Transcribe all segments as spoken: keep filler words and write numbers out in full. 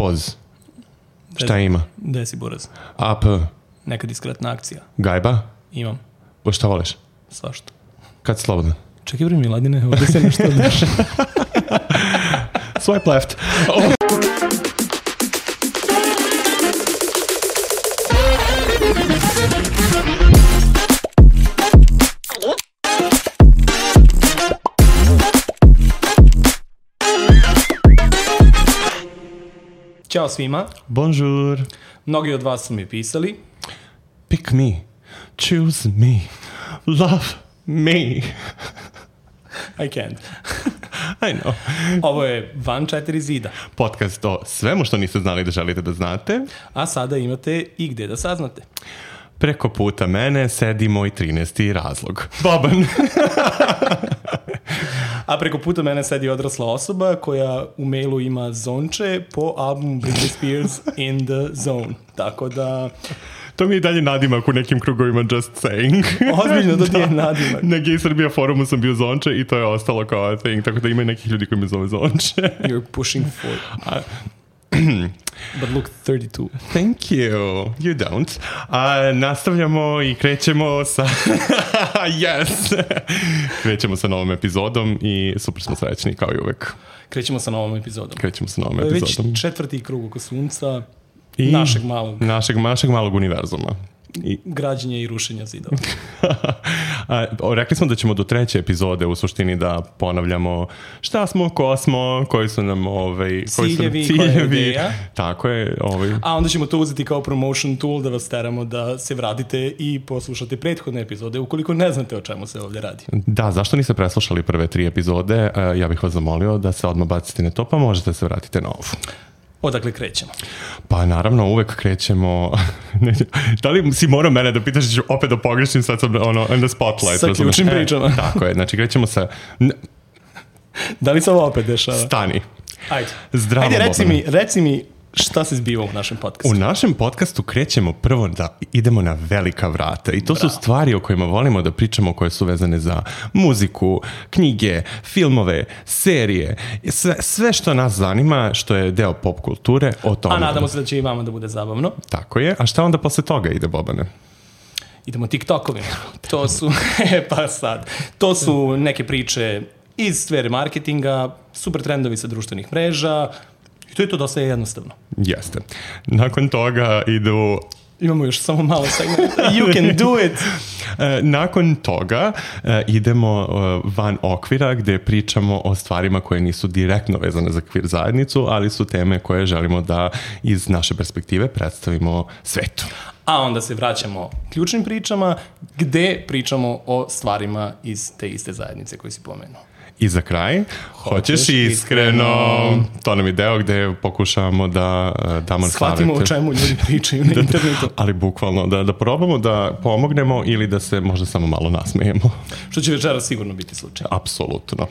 Poz. Šta ima? Gde si buraz? A P. Neka diskretna akcija. Gajba? Imam. O šta voliš? Svašta. Kad si slobodan? Čekaj bre Miladine, ovdje se nešto odneša. Swipe left. Oh. Ćao svima. Bonjour. Mnogi od vas su mi pisali. Pick me. Choose me. Love me. I can't. I know. Ovo je Van četiri zida. Podcast o svemu što niste znali da želite da znate. A sada imate i gde da saznate. Preko puta mene sedi moj trinaesti razlog. Boban. A preko puta mene sedi odrasla osoba koja u mailu ima zonče po albumu Britney Spears In The Zone. Tako da... To mi je dalje nadimak u nekim krugovima, just saying. Ozbiljno, to ti je nadimak. Na Gay Srbija forumu sam bio zonče i to je ostalo kao thing, tako da ima nekih ljudi koji me zove zonče. You're pushing for... But look thirty-two. Thank you. You don't. A, nastavljamo i krećemo sa... yes! Krećemo sa novom epizodom i super smo srećni kao i uvek. Krećemo sa novom epizodom. Krećemo sa novom to je epizodom. Već četvrti krug oko sunca I našeg malog. Našeg, našeg malog univerzuma. I građenja i rušenja zidova. A, rekli smo da ćemo do treće epizode u suštini da ponavljamo šta smo, ko smo, koji su nam ovaj, koji ciljevi, su nam ciljevi. koja je ideja. Tako je. Ovaj. A onda ćemo to uzeti kao promotion tool da vas teramo da se vratite i poslušate prethodne epizode ukoliko ne znate o čemu se ovdje radi. Da, zašto niste preslušali prve tri epizode? Ja bih vas zamolio da se odmah bacite na to, pa možete se vratiti na ovu. Odakle krećemo? Pa naravno uvek krećemo. Da li si morao mene da pitaš da ću opet da pogrešim, sad sam ono, in the spotlight. Sa ključnim pričama. E, tako je, znači krećemo sa... Da li se ovo opet dešava? Stani. Ajde. Zdravo, Ajde, reci Bobane. mi, reci mi šta se zbiva u našem podcastu. U našem podcastu krećemo prvo da idemo na velika vrata i to Bravo. su stvari o kojima volimo da pričamo, koje su vezane za muziku, knjige, filmove, serije, sve, sve što nas zanima, što je deo pop kulture, o tome. A nadamo se da će i vama da bude zabavno. Tako je. A šta onda posle toga ide, Bobane? Idemo TikTokovima. To su, pa sad, to su neke priče iz sfere marketinga, super trendovi sa društvenih mreža. I to je to dosta jednostavno. Jeste. Nakon toga idu... Imamo još samo malo segmenta. You can do it! Nakon toga idemo van okvira gdje pričamo o stvarima koje nisu direktno vezane za kvir zajednicu, ali su teme koje želimo da iz naše perspektive predstavimo svetu. A onda se vraćamo ključnim pričama gdje pričamo o stvarima iz te iste zajednice koje si pomenuo. I za kraj, hoćeš, hoćeš iskreno. iskreno. To nam je deo gde pokušavamo da damo savjete. Shvatimo o čemu ljudi pričaju na internetu. Ali bukvalno, da, da probamo da pomognemo ili da se možda samo malo nasmejemo. Što će večeras sigurno biti slučaj. Apsolutno.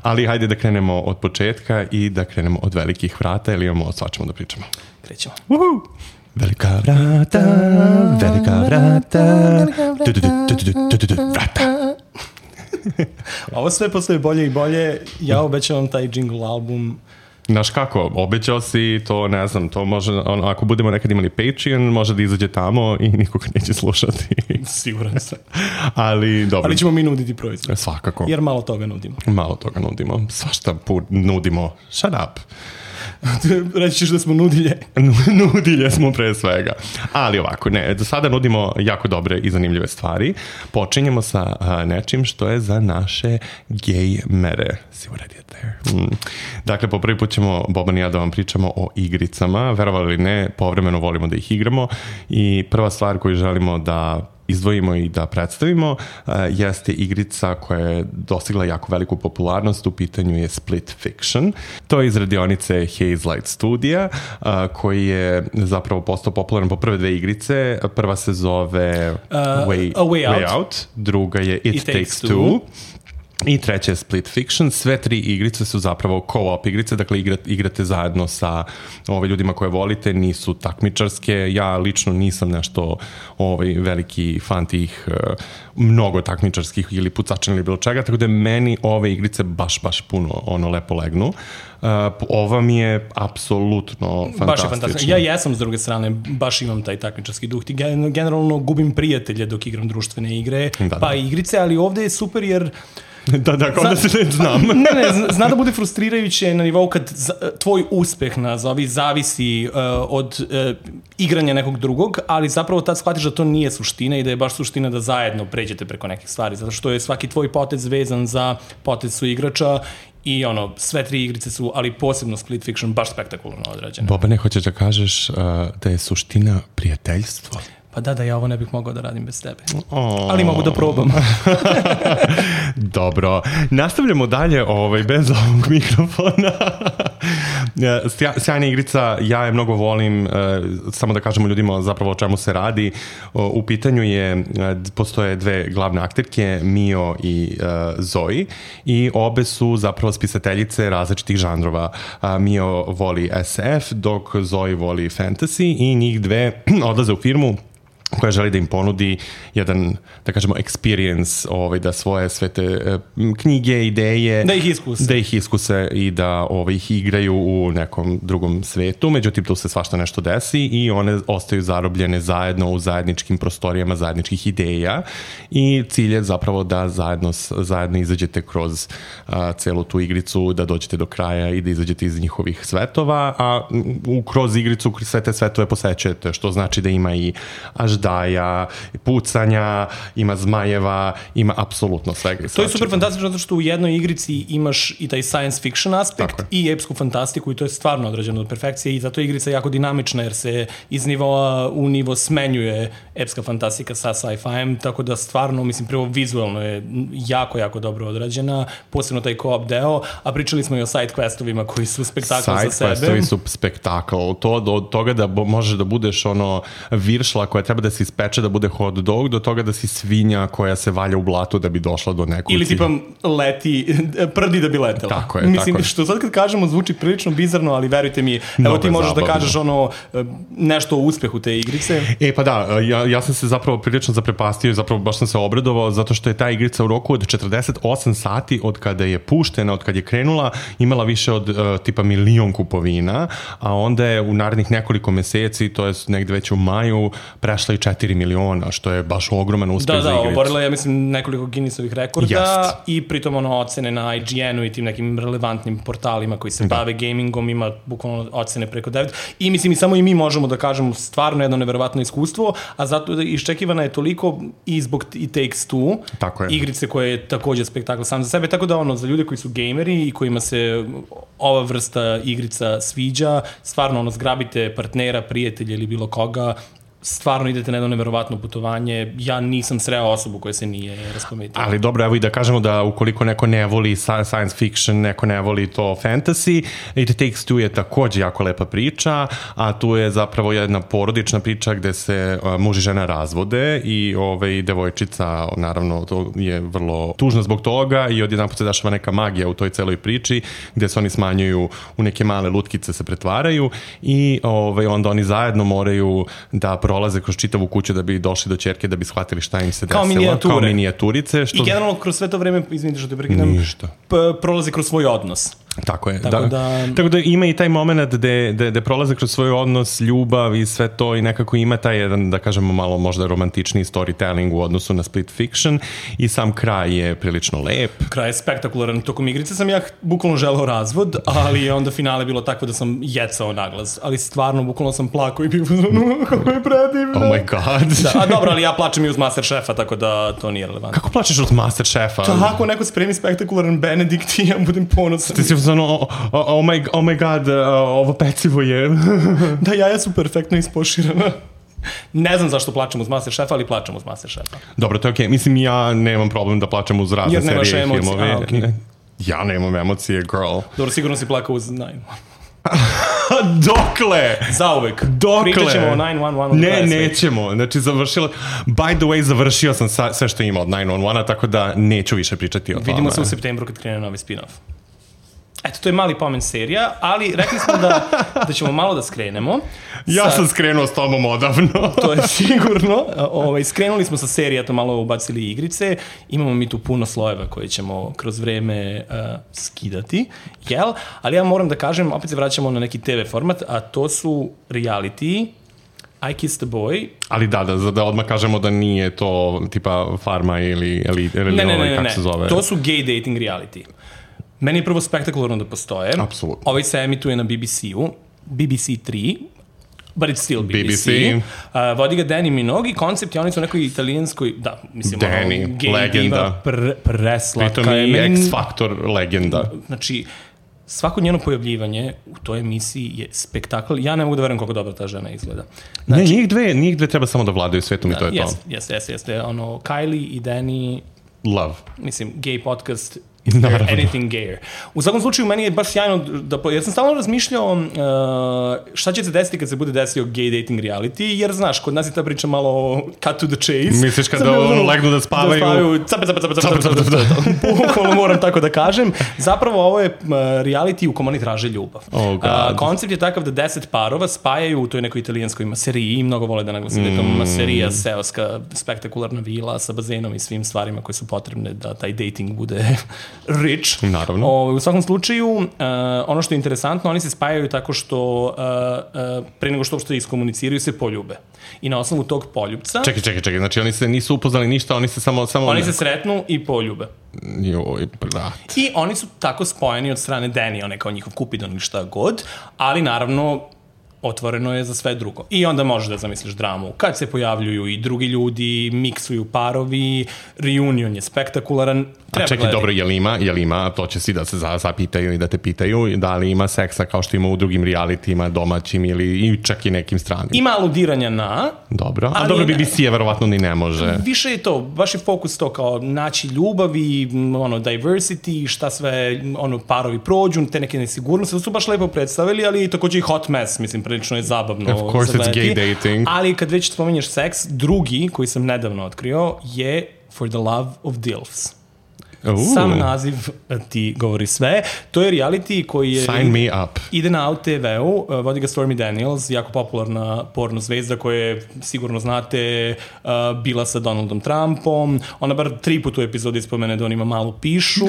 Ali hajde da krenemo od početka i da krenemo od velikih vrata, ili imamo o svačemu da pričamo. Krećemo. Uhu! Velika vrata, velika vrata, vrata. Ovo sve postoje bolje i bolje. Ja obećavam taj jingle album. Znaš kako, obećao si to, ne znam, to može, on, ako budemo nekad imali Patreon, može da izađe tamo i nikoga neće slušati. Siguran sam. Ali dobro. Ali ćemo mi nuditi proizvod. Svakako. Jer malo toga nudimo. Malo toga nudimo. Svašta put nudimo. Shut up. Reći ćeš da smo nudilje. Nudilje smo pre svega. Ali ovako, ne, do sada nudimo jako dobre i zanimljive stvari. Počinjemo sa a, nečim što je za naše gejmere. Si already there. Mm. Dakle, po prvi put ćemo, Boban i ja, da vam pričamo o igricama. Verovali ili ne, povremeno volimo da ih igramo. I prva stvar koju želimo da izdvojimo i da predstavimo uh, jeste igrica koja je dostigla jako veliku popularnost. U pitanju je Split Fiction. To je iz radionice Hazelight Studija, uh, koji je zapravo postao popularan po prve dve igrice. Prva se zove uh, Way, A Way Out. Way Out, druga je It, It Takes, Takes Two. two. I treće je Split Fiction. Sve tri igrice su zapravo co-op igrice, dakle igrate, igrate zajedno sa ove, ljudima koje volite, nisu takmičarske. Ja lično nisam nešto ovaj, veliki fan tih uh, mnogo takmičarskih ili pucačina ili bilo čega, tako da meni ove igrice baš, baš puno ono lepo legnu. Uh, ova mi je apsolutno fantastična. Baš je fantastična. Ja jesam s druge strane, baš imam taj takmičarski duh. Ti generalno gubim prijatelje dok igram društvene igre, da, pa da. igrice, ali ovde je super jer Da, da, kao da se ne znam. Ne, ne, zna da bude frustrirajuće na nivou kad za, tvoj uspeh nazovi zavisi uh, od uh, igranja nekog drugog, ali zapravo tad shvatiš da to nije suština i da je baš suština da zajedno pređete preko nekih stvari, zato što je svaki tvoj potez vezan za potez su igrača i ono, sve tri igrice su, ali posebno Split Fiction, baš spektakularno odrađene. Bobane, hoćeš da kažeš uh, da je suština prijateljstvo? Pa da, da, ja ovo ne bih mogao da radim bez tebe. Oh. Ali mogu da probam. Dobro. Nastavljamo dalje ovaj, bez ovog mikrofona. Sjajna igrica, ja je mnogo volim, samo da kažemo ljudima zapravo o čemu se radi. U pitanju je, postoje dve glavne akterke, Mio i Zoe, i obe su zapravo spisateljice različitih žanrova. Mio voli es ef, dok Zoe voli fantasy, i njih dve odlaze u firmu koja želi da im ponudi jedan, da kažemo, experience, ovaj, da svoje sve te uh, knjige, ideje, da ih iskuse. Da ih iskuse i da ovaj, ih igraju u nekom drugom svetu. Međutim, tu se svašta nešto desi i one ostaju zarobljene zajedno u zajedničkim prostorijama zajedničkih ideja i cilj je zapravo da zajedno, zajedno izađete kroz uh, celu tu igricu, da dođete do kraja i da izađete iz njihovih svetova, a u, kroz igricu sve te svetove posećujete, što znači da ima i až daja, pucanja, ima zmajeva, ima apsolutno svega. To je super fantastično zato što u jednoj igrici imaš i taj science fiction aspekt i epsku fantastiku i to je stvarno odrađeno do perfekcije i zato je igrica jako dinamična jer se iz nivoa u nivo smenjuje epska fantastika sa sci-fi-em, tako da stvarno, mislim, prvo vizualno je jako, jako dobro odrađena, posebno taj co-op deo, a pričali smo i o side questovima koji su spektakl za sebe. Side questovi su spektakl. To do toga da bo, možeš da budeš ono viršla koja treba da se ispeče da bude hot dog, do toga da si svinja koja se valja u blatu da bi došla do nekog ili tipa leti, prdi da bi letela. Tako je, mislim, tako je. Što sad kad kažemo zvuči prilično bizarno, ali verujte mi, evo ti možeš zabavno da kažeš ono nešto o uspehu te igrice. E pa da, ja, ja sam se zapravo prilično zaprepastio i zapravo baš sam se obradovao zato što je ta igrica u roku od četrdeset osam sati od kada je puštena, od kada je krenula, imala više od uh, tipa milion kupovina, a onda je u narednih nekoliko meseci, to je negde već u maju, prešla i četiri miliona, što je baš ogroman uspeh da, za igricu. Da, oborila je, ja mislim, nekoliko Guinnessovih rekorda Jest. I pritom ono ocene na I G N-u i tim nekim relevantnim portalima koji se da. bave gamingom, ima bukvalno ocene preko devet. I mislim, i samo i mi možemo da kažemo stvarno jedno neverovatno iskustvo, a zato da iščekivana je toliko i zbog i Takes Two, tako je. Igrice koje je također spektakl sam za sebe, tako da ono, za ljude koji su gameri i kojima se ova vrsta igrica sviđa, stvarno ono, zgrabite partnera, prijatelja ili bilo koga, stvarno idete na jedno neverovatno putovanje. Ja nisam sreo osobu koja se nije raspametila. Ali dobro, evo i da kažemo da ukoliko neko ne voli science fiction, neko ne voli to fantasy, It Takes Two je također jako lepa priča, a tu je zapravo jedna porodična priča gde se uh, muž i žena razvode i ovaj, devojčica, naravno, to je vrlo tužno zbog toga i odjedanput se dešava neka magija u toj celoj priči gde se oni smanjuju u neke male lutkice, se pretvaraju i ovaj, onda oni zajedno moraju da prolaze kroz čitavu kuću da bi došli do ćerke, da bi shvatili šta im se desilo. Kao minijature. Kao minijaturice. Što... I generalno kroz sve to vreme, izvinite što te prekidam, prolaze kroz svoj odnos. Tako je. Tako da, da... tako da ima i taj moment gde, gde, gde prolaze kroz svoj odnos, ljubav i sve to i nekako ima taj jedan, da kažemo, malo možda romantični storytelling u odnosu na Split Fiction i sam kraj je prilično lep. Kraj je spektakularan. Tokom igrice sam ja bukvalno želeo razvod, ali onda finale bilo tako da sam jecao naglas. Ali stvarno, bukvalno sam plakao i bih ono, kako je predivno. Oh my god. Da, a dobro, ali ja plačem i uz Masterchefa, tako da to nije relevantno. Kako plačeš uz Masterchefa? Tako, neko spremi spektakularan Benedikt i ja budem ponosan. Ti si ono, oh, oh, my, oh my god, uh, ovo pecivo je. Da, jaja su perfektno ispoširana. Ne znam zašto plačem uz Masterchefa, ali plačem uz Masterchefa. Dobro, to je okej. Okay. Mislim, ja nemam problem da plačem uz razne serije i filmove. A, okay. Ja nemam emocije, girl. Dobro, sigurno si plakao uz Nine. Dokle? Zauvek. Dokle? Pričat ćemo o nine one one. Ne, nećemo. Znači, završila... By the way, završio sam sa, sve što ima od nine one one, tako da neću više pričati o tome. Vidimo se u septembru kad krene novi spin-off. Eto, to je mali pomen serija, ali rekli smo da, da ćemo malo da skrenemo. Ja sa... sam skrenuo s tobom odavno. To je sigurno. Ovaj, skrenuli smo sa serija, to malo ubacili igrice. Imamo mi tu puno slojeva koje ćemo kroz vreme uh, skidati, jel? Ali ja moram da kažem, opet se vraćamo na neki te ve format, a to su reality, I Kissed a Boy. Ali da, da, da odmah kažemo da nije to tipa Farma ili, ili, ili ne, ne, ovaj, ne, kako ne, se zove. To su gay dating reality. Meni je prvo spektakularno da postoje. Apsolutno. Ovaj se emituje na B B C-u, B B C tri, but it's still B B C. B B C. Uh, vodi ga Danny Minogue i koncept je, oni su u nekoj italijanskoj, da, mislim, Danny, ono, gay legenda. diva, pr, preslatka. Pritom je. i Meni, X-Factor legenda. Znači, svako njeno pojavljivanje u toj emisiji je spektakl. Ja ne mogu da verujem kako dobro ta žena izgleda. Znači, ne, njih dve, njih dve treba samo da vladaju svetom i to je yes, to. Jeste, jeste, jeste. Ono, Kylie i Danny, Love. mislim, gay podcast is there anything gayer. U svakom slučaju, meni je baš sjajno da... Ja sam stalno razmišljao uh, šta će se desiti kad se bude desio gay dating reality, jer znaš, kod nas je ta priča malo cut to the chase. Misliš kada legnu da spavaju? Da spavaju, cape, cape, cape, cape, cape, cape, cape. Bukvalno moram tako da kažem. Zapravo ovo je reality u kom oni traže ljubav. Oh God. Uh, koncept je takav da deset parova spajaju u toj nekoj italijanskoj maseriji i mnogo vole da naglasim da je to maserija, seoska, spektakularna vila sa bazenom i svim stvarima koje su potrebne da taj dating bude rich. Naravno. O, u svakom slučaju, uh, ono što je interesantno, oni se spajaju tako što uh, uh, pre nego što uopšte iskomuniciraju se poljube. I na osnovu tog poljubca... Čekaj, čekaj, čekaj. Znači oni se nisu upoznali ništa, oni se samo... samo oni se sretnu i poljube. Joj, brat. I oni su tako spojeni od strane Danny, on je kao njihov Cupidon ili šta god, ali naravno otvoreno je za sve drugo. I onda možeš da zamisliš dramu. Kad se pojavljuju i drugi ljudi, miksuju parovi, reunion je spektakularan. Treba A čekaj, gledati. dobro, je li ima, je li ima, to će si da se zapitaju i da te pitaju, da li ima seksa kao što ima u drugim realitima, domaćim ili i čak i nekim stranim? Ima aludiranja na... Dobro, a ali dobro, ne- B B C je verovatno ni ne može. Više je to, baš je fokus to kao naći ljubav i ono, diversity, šta sve ono, parovi prođu, te neke nesigurnosti, to su baš lepo predstavili, ali takođe i hot mess, mislim, prilično je zabavno. Of course it's gay dating. Ali kad već spominješ seks, drugi koji sam nedavno otkrio je For the Love of Dilfs. Uh, Sam naziv ti govori sve. To je reality koji je... Sign me up. Ide na A U te ve-u, vodi ga Stormy Daniels, jako popularna porno zvezda koja je, sigurno znate, bila sa Donaldom Trumpom. Ona bar tri puta u epizodi spomene da on ima malu pišu,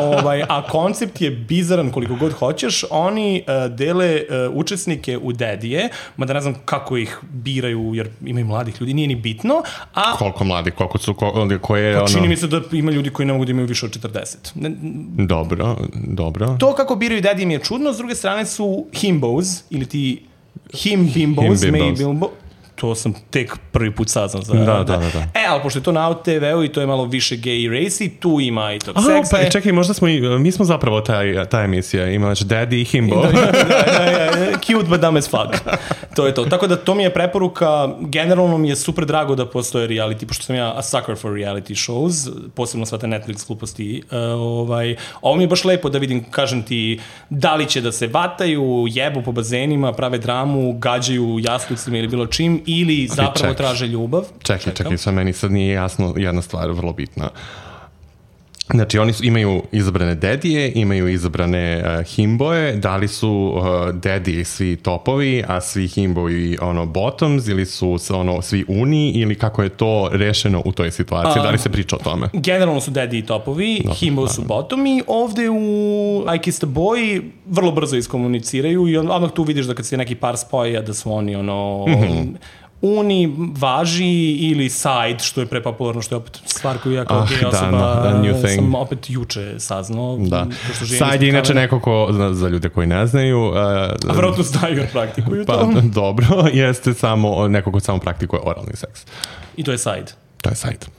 ovaj, a koncept je bizaran koliko god hoćeš. Oni dele učesnike u dedije, mada ne znam kako ih biraju, jer imaju mladih ljudi, nije ni bitno. A Koliko mladi, koliko su, ko, koje pa čini ono... mi se da ima ljudi koji ne mogu da imaju više od četrdeset. Ne, Dobro, dobro. to kako biraju dedije mi je čudno, s druge strane su himbos, ili ti him bimbos, Him bimbos. may bimbo. To sam tek prvi put saznao za... Da, da, da, da. E, ali pošto je to na A U te ve-u i to je malo više gay racy, tu ima i tog Aha, seksa. pa čekaj, možda smo i, mi smo zapravo taj, ta emisija, ima znači Daddy i Himbo. Da, da, da, da, cute but dumb as fuck. To je to. Tako da to mi je preporuka, generalno mi je super drago da postoje reality, pošto sam ja a sucker for reality shows, posebno sva te Netflix gluposti. Uh, ovaj, ovo mi je baš lepo da vidim, kažem ti, da li će da se vataju, jebu po bazenima, prave dramu, gađaju jaslicima ili bilo čim, ili zapravo čekaj. traže ljubav. Čekaj, Čekam. čekaj, sad meni sad nije jasno jedna stvar vrlo bitna. Znači, oni su, imaju izabrane dedije, imaju izabrane uh, himboje, da li su uh, dedije svi topovi, a svi himboji ono bottoms, ili su ono svi uni, ili kako je to rešeno u toj situaciji, A, da li se priča o tome? Generalno su daddy i topovi, Dobro, himbo su bottomi. Ovde u I Kissed a Boy vrlo brzo iskomuniciraju i odmah tu vidiš da kad se neki par spoja da su oni ono... Mm-hmm. Uni, važi ili side, što je prepopularno, što je opet stvar koju ja kao Ah, gej da, osoba no, a new thing. sam opet juče saznao. Da. pošto živim Sad ispod je inače kamena. neko ko, za, za ljude koji ne znaju, uh, A vjerojatno znaju jer praktikuju pa to. dobro, jeste samo neko ko samo praktikuje oralni seks. I to je side. To je sajt.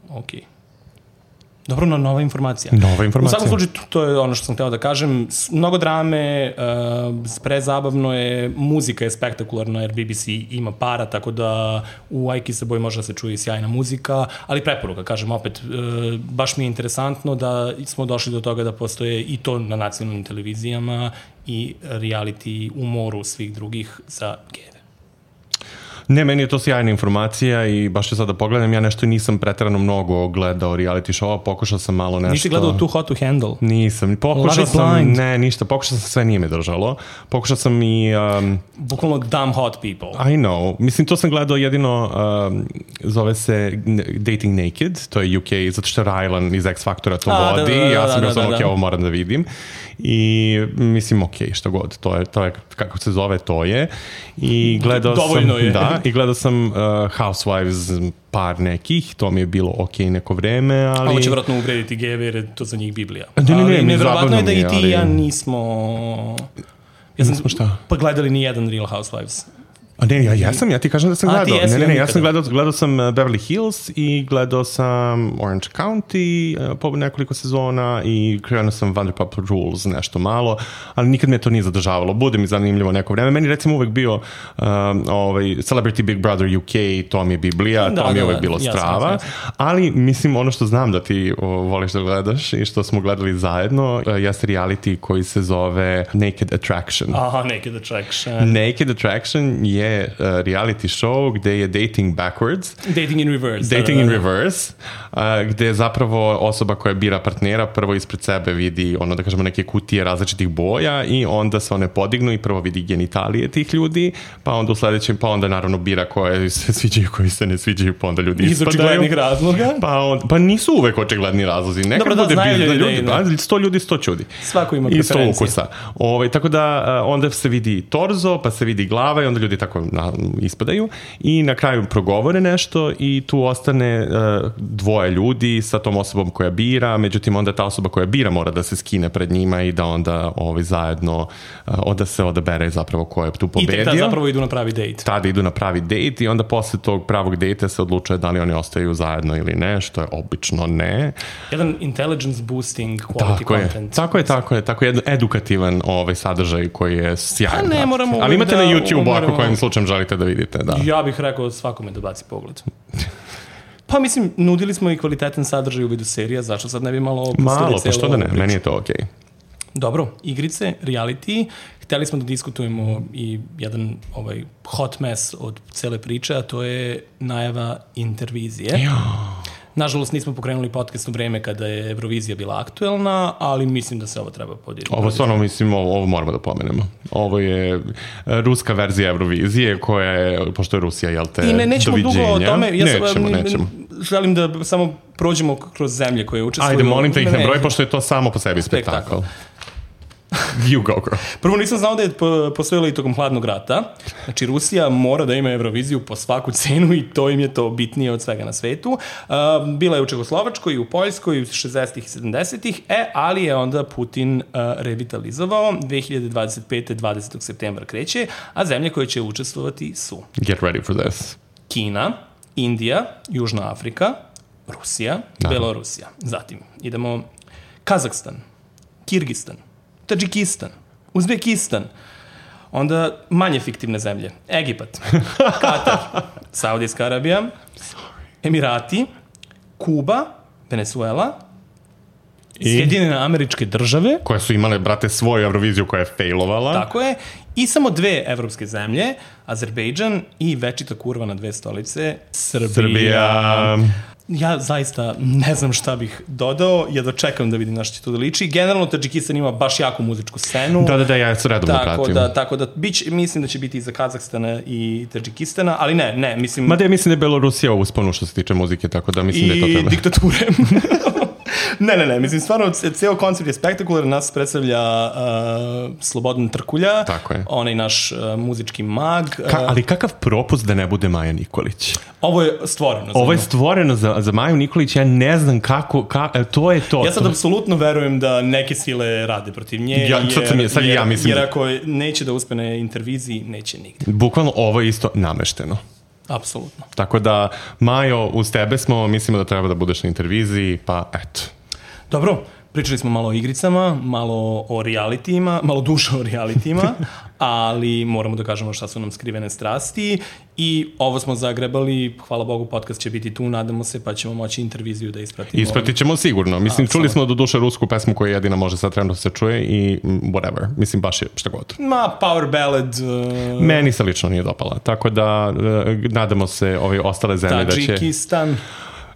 Okej. Dobro, no, nova informacija. Nova informacija. U svakom slučaju, to je ono što sam hteo da kažem. S- Mnogo drame, uh, prezabavno je, muzika je spektakularna jer B B C ima para, tako da u I Kissed a Boy može da se čuje i sjajna muzika, ali preporuka, kažem opet, uh, baš mi je interesantno da smo došli do toga da postoje i to na nacionalnim televizijama i reality u moru svih drugih za gejeve. Ne, meni je to sjajna informacija i baš ću sad da pogledam, ja nešto nisam preterano mnogo gledao reality show, pokušao sam malo nešto... Nisi gledao Too Hot to Handle? Nisam, pokušao sam, ne, ništa, pokušao sam, sve nije me držalo. Pokušao sam i... Um, Bukvalno dumb hot people. I know, mislim, to sam gledao jedino, um, zove se Dating Naked, to je U K, zato što Rylan iz X Factora to A, vodi, da, da, da, ja sam bio da, sam, da, ok, da. ovo moram da vidim. I mislim, ok, što god, to je, to je kako se zove, to je. I gledao Dovoljno sam, je. Da, i gledao sam uh, Housewives par nekih, to mi je bilo ok neko vreme, ali... Ovo će vratno uvrediti gejeve jer je to za njih Biblija. Ne, ne, ne, ali mi nevjerovatno je da zabavno i mi ti je, i ja ali- nismo... Ja sam Nismo šta? pa gledali ni jedan Real Housewives. A ne, ja jesam, ja ti kažem da sam A, ti gledao. jesi, Ne, ne, ja ne, ja nikada. sam gledao, gledao sam uh, Beverly Hills i gledao sam Orange County uh, po nekoliko sezona i krenuo sam Vanderpump Rules nešto malo, ali nikad me to nije zadržavalo. Bude mi zanimljivo neko vreme. Meni recimo uvek bio um, ovaj, Celebrity Big Brother U K, to mi je Biblija, Da, to mi je da, uvek da, bilo jasno, strava. jasno, jasno. Ali mislim ono što znam da ti o, voliš da gledaš i što smo gledali zajedno uh, jeste reality koji se zove Naked Attraction. Aha, Naked Attraction. Naked Attraction je uh, reality show gde je dating backwards, Dating in reverse. dating da, in da, da. reverse, uh, gde zapravo osoba koja bira partnera prvo ispred sebe vidi ono da kažemo neke kutije različitih boja i onda se one podignu i prvo vidi genitalije tih ljudi, pa onda u sledećem, pa onda naravno bira koje se sviđaju, koji se ne sviđaju, pa onda ljudi Iz ispadaju. očiglednih razloga. Pa, on, pa nisu uvek očigledni razlozi. Nekad Dobro, da, bude znaju bizna ljudi, ljudi, da. da, sto ljudi, sto čudi. Svako ima I sto preferencije. ukusa. Ovaj, tako da uh, onda se vidi torzo, pa se vidi glava i onda ljudi tako na, ispadaju i na kraju progovore nešto i tu ostane uh, dvoje ljudi sa tom osobom koja bira, međutim onda ta osoba koja bira mora da se skine pred njima i da onda ovaj, zajedno uh, onda se odabere zapravo ko je tu I pobedio. tek da zapravo idu na pravi date. Tada idu na pravi dejt i onda posle tog pravog dejta se odlučuje da li oni ostaju zajedno ili ne, što je obično ne. Jedan intelligence boosting quality Tako je, content. tako je, tako je, tako je jedan edukativan ovaj sadržaj koji je sjajan. Pa ne moramo Ali uvek imate da na YouTube ako umaramo. kojim slučajem želite da vidite, da. Ja bih rekao svakome da baci pogled. Pa mislim, nudili smo i kvalitetan sadržaj u vidu serija, zašto sad ne bi malo opustili Malo, pa celu što da ne, ovu priču? meni je to okej. Dobro, igrice, reality, hteli smo da diskutujemo i jedan ovaj hot mess od cele priče, a to je najava Intervizije. Ja. Nažalost, nismo pokrenuli podcast u vreme kada je Eurovizija bila aktuelna, ali mislim da se ovo treba podijeliti. Ovo stvarno, mislim, ovo, ovo moramo da pomenemo. Ovo je e, ruska verzija Eurovizije koja je, pošto je Rusija, jel te, I ne, nećemo doviđenja. dugo o tome. Ja sam, nećemo, m, nećemo. Želim da samo prođemo kroz zemlje koje učestvuju. Ajde, molim te ih Ne, ne broj, ne. pošto je to samo po sebi Spektakl. spektakl. You go, girl. Prvo nisam znao da je po- postojala i tokom hladnog rata. Znači, Rusija mora da ima Euroviziju po svaku cenu i to im je to bitnije od svega na svetu. Uh, bila je u Čehoslovačkoj i u Poljskoj u šezdesetih i sedamdesetih, e, ali je onda Putin uh, revitalizovao. dve hiljade dvadeset pete. dvadesetog septembra kreće, a zemlje koje će učestvovati su Get ready for this. Kina, Indija, Južna Afrika, Rusija, Da. Belorusija. Zatim idemo Kazahstan, Kirgistan, Tadžikistan, Uzbekistan, onda manje fiktivne zemlje, Egipat, Katar, Saudijska Arabija, Emirati, Kuba, Venezuela, I? Sjedinjene Američke Države, Koje su imale, brate, svoju Euroviziju koja je failovala. tako je, i samo dve evropske zemlje, Azerbejdžan i večita kurva na dve stolice, Srbija. Srbija. Ja zaista ne znam šta bih dodao, jedva čekam da vidim na što će to da liči. Generalno, Tadžikistan ima baš jaku muzičku scenu. Da, da, da, ja se redovno Tako pratim. da, tako da bić, mislim da će biti i za Kazahstana i Tadžikistana, ali ne, ne, mislim... Mada ja mislim da je Belorusija u usponu što se tiče muzike, tako da mislim da je to I treba. diktature. ne, ne, ne, mislim, stvarno, c- ceo koncept je spektakular, nas predstavlja uh, Slobodan Trkulja, Tako je. onaj naš uh, muzički mag. Uh, Ka, ali kakav propust da ne bude Maja Nikolić? ovo je stvoreno. za Ovo je nju. stvoreno za, za Maju Nikolić, ja ne znam kako, ka, e, to je to. Ja sad to... apsolutno verujem da neke sile rade protiv nje, Ja, jer, sad sam je- sad i ja jer, mislim jer da- ako neće da uspe na interviziji, neće nigde. Bukvalno ovo je isto namešteno. Apsolutno. Tako da, Majo, uz tebe smo, mislimo da treba da budeš na interviziji, pa eto. Dobro, Pričali smo malo o igricama, malo o realitijima, malo duše o realitijima, ali moramo da kažemo šta su nam skrivene strasti i ovo smo zagrebali, hvala Bogu, podcast će biti tu, nadamo se, pa ćemo moći interviziju da ispratimo. Ispratit ćemo sigurno. Mislim, A, čuli smo do duše rusku pesmu koja jedina može sad trenutno se čuje i whatever. Mislim, baš je šta god. Ma, power ballad. Uh... Meni se lično nije dopala, tako da uh, nadamo se ove ostale zemlje da će... Tadžikistan.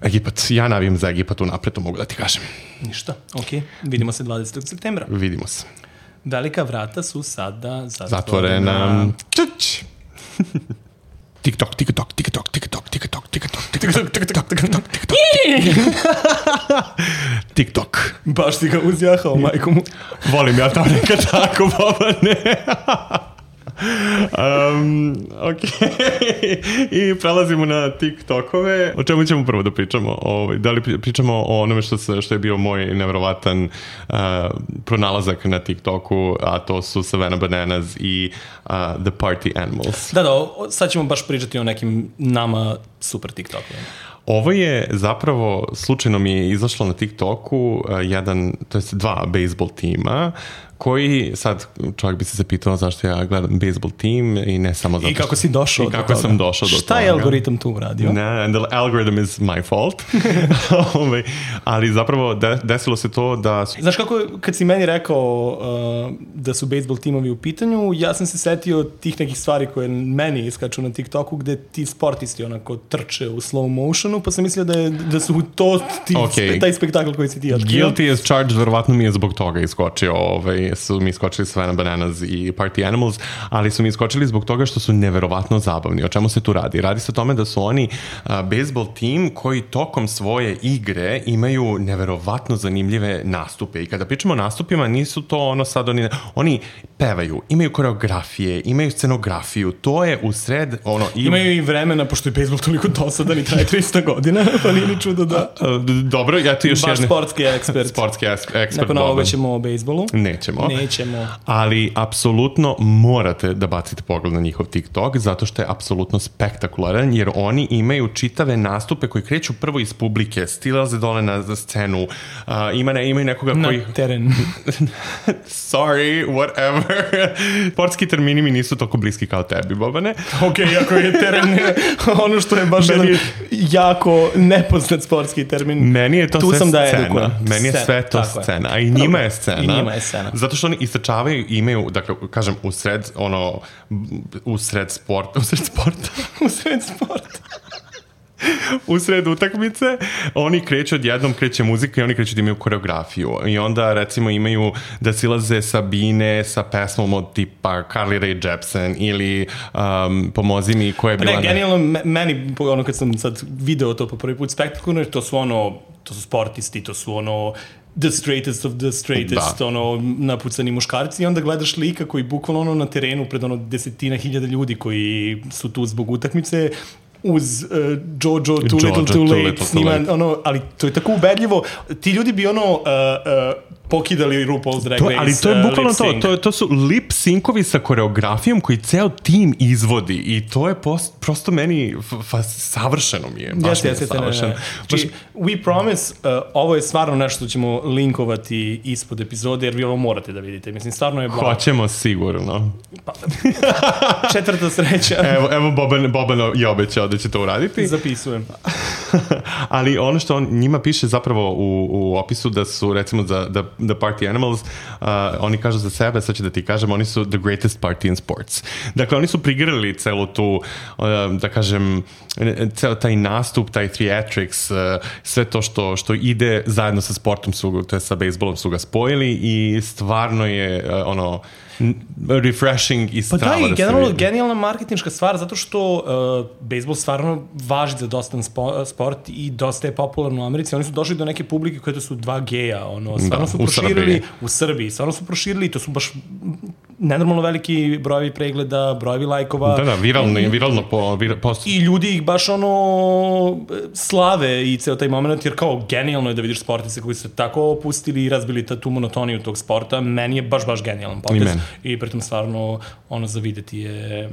Egipat, ja navijam za Egipat unapred, to mogu da ti kažem. Ništa, okej. Okay. Vidimo se dvadesetog septembra. Vidimo se. Velika vrata su sada zatvorena. Zatvorena. Čuć! TikTok, TikTok, TikTok, TikTok, TikTok, TikTok, TikTok, TikTok, TikTok, TikTok, TikTok. Baš ti ga uzjahao, majko mu. Volim ja to nekad tako, baba, ne. Um, ok. I prelazimo na TikTokove. O čemu ćemo prvo da pričamo? O, da li pričamo o onome što, se, što je bio moj nevjerovatan uh, pronalazak na TikToku, a to su Savannah Bananas i uh, The Party Animals. Da, da, sad ćemo baš pričati o nekim nama super TikTokovima. Ovo je zapravo, slučajno mi je izašlo na TikToku uh, jedan, to jest dva bejsbol tima koji, sad čovjek bi se zapitao zašto ja gledam bejsbol tim i ne samo zato I kako si došao do toga. I kako sam došao do toga. Šta je algoritam tu uradio? Ne, and the algorithm is my fault. Ali zapravo de, desilo se to da... Su... Znaš kako, kad si meni rekao uh, da su bejsbol timovi u pitanju, ja sam se setio tih nekih stvari koje meni iskaču na TikToku gde ti sportisti onako trče u slow motionu, pa sam mislio da, je, da su to ti, okay. taj spektakl koji si ti otkrio. Guilty as charged, verovatno mi je zbog toga iskočio ovaj, su mi iskočili Savannah Bananas i Party Animals, ali su mi iskočili zbog toga što su neverovatno zabavni. O čemu se tu radi? Radi se o tome da su oni uh, bejsbol tim koji tokom svoje igre imaju neverovatno zanimljive nastupe. I kada pričamo o nastupima, nisu to ono sad oni... Oni pevaju, imaju koreografije, imaju scenografiju. To je u sred... Ono, i... Imaju i vremena, pošto je bejsbol toliko dosadan i traje tristo godina, pa nije ni čudo da... Dobro, ja ti još baš jedne... sportski ekspert. Sportski ekspert. Nakon ovoga ćemo o bejsbolu. Nećemo. Nećemo. Ali apsolutno morate da bacite pogled na njihov TikTok, zato što je apsolutno spektakularan, jer oni imaju čitave nastupe koji kreću prvo iz publike, stilaze dole na scenu, uh, ima ne, imaju nekoga koji... Na teren. Sorry, whatever. Sportski termini mi nisu toliko bliski kao tebi, Bobane. Ok, ako je teren ono što je baš jedan jako nepoznat sportski termin. Meni je to tu sve sam da scena. edukujem. Meni je sve to Tako scena. A i njima je scena. I njima je scena. Zato što oni istračavaju, imaju, dakle, kažem, u sred, ono, u sred sporta, u sred sporta, u sred sporta. u sred utakmice, oni kreću odjednom, kreće muzika i oni kreću da imaju koreografiju. I onda, recimo, imaju da silaze sa bine sa pesmom od tipa Carly Rae Jepsen ili um, Pomozi mi, koja je bila... Ne, genijalno, meni, ono, kad sam sad video to po prvi put spektakularno, to su ono, to su sportisti, to su ono... the straightest of the straightest, da. Ono, napucani muškarci i onda gledaš lika koji bukvalno ono na terenu pred ono desetina hiljada ljudi koji su tu zbog utakmice uz uh, Jojo Too Jojo, Little Too Late, little, snima, too late. Ono, ali to je tako ubedljivo. Ti ljudi bi ono uh, uh, pokidali RuPaul's Drag to, Race. Ali to je bukvalno uh, to, to, to su lip syncovi sa koreografijom koji ceo tim izvodi i to je post, prosto meni fa, savršeno mi je. Baš yes, mi je yes, savršeno. Ne, ne. Znači, we promise, uh, ovo je stvarno nešto što ćemo linkovati ispod epizode, jer vi ovo morate da vidite. Mislim, stvarno je blago. Hoćemo sigurno. Pa, četvrta sreća. Evo, evo Boban, Boban je obećao da će to uraditi. Zapisujem. Ali ono što on njima piše zapravo u, u opisu da su, recimo, za The, the Party Animals, uh, oni kažu za sebe, sad ću da ti kažem, oni su the greatest party in sports. Dakle, oni su prigrali celu tu, uh, da kažem, ceo taj nastup, taj theatrics, uh, sve to što, što ide zajedno sa sportom, su, to je sa bejsbolom su ga spojili i stvarno je uh, ono refreshing i strava. Pa da, i da generalno genijalna marketinška stvar, zato što uh, bejsbol stvarno važi za dosta spo, sport i dosta je popularno u Americi. Oni su došli do neke publike koje to su dva geja, ono, stvarno da, su proširili u Srbiji. u Srbiji, stvarno su proširili, to su baš nenormalno veliki brojevi pregleda, brojevi lajkova. Da, da, viralno, i, viralno po, vir, post. I ljudi ih baš ono slave i ceo taj moment, jer kao genijalno je da vidiš sportice koji su tako opustili i razbili tu monotoniju tog sporta. Meni je baš, baš genijalan potez. I pritom stvarno ono za videti je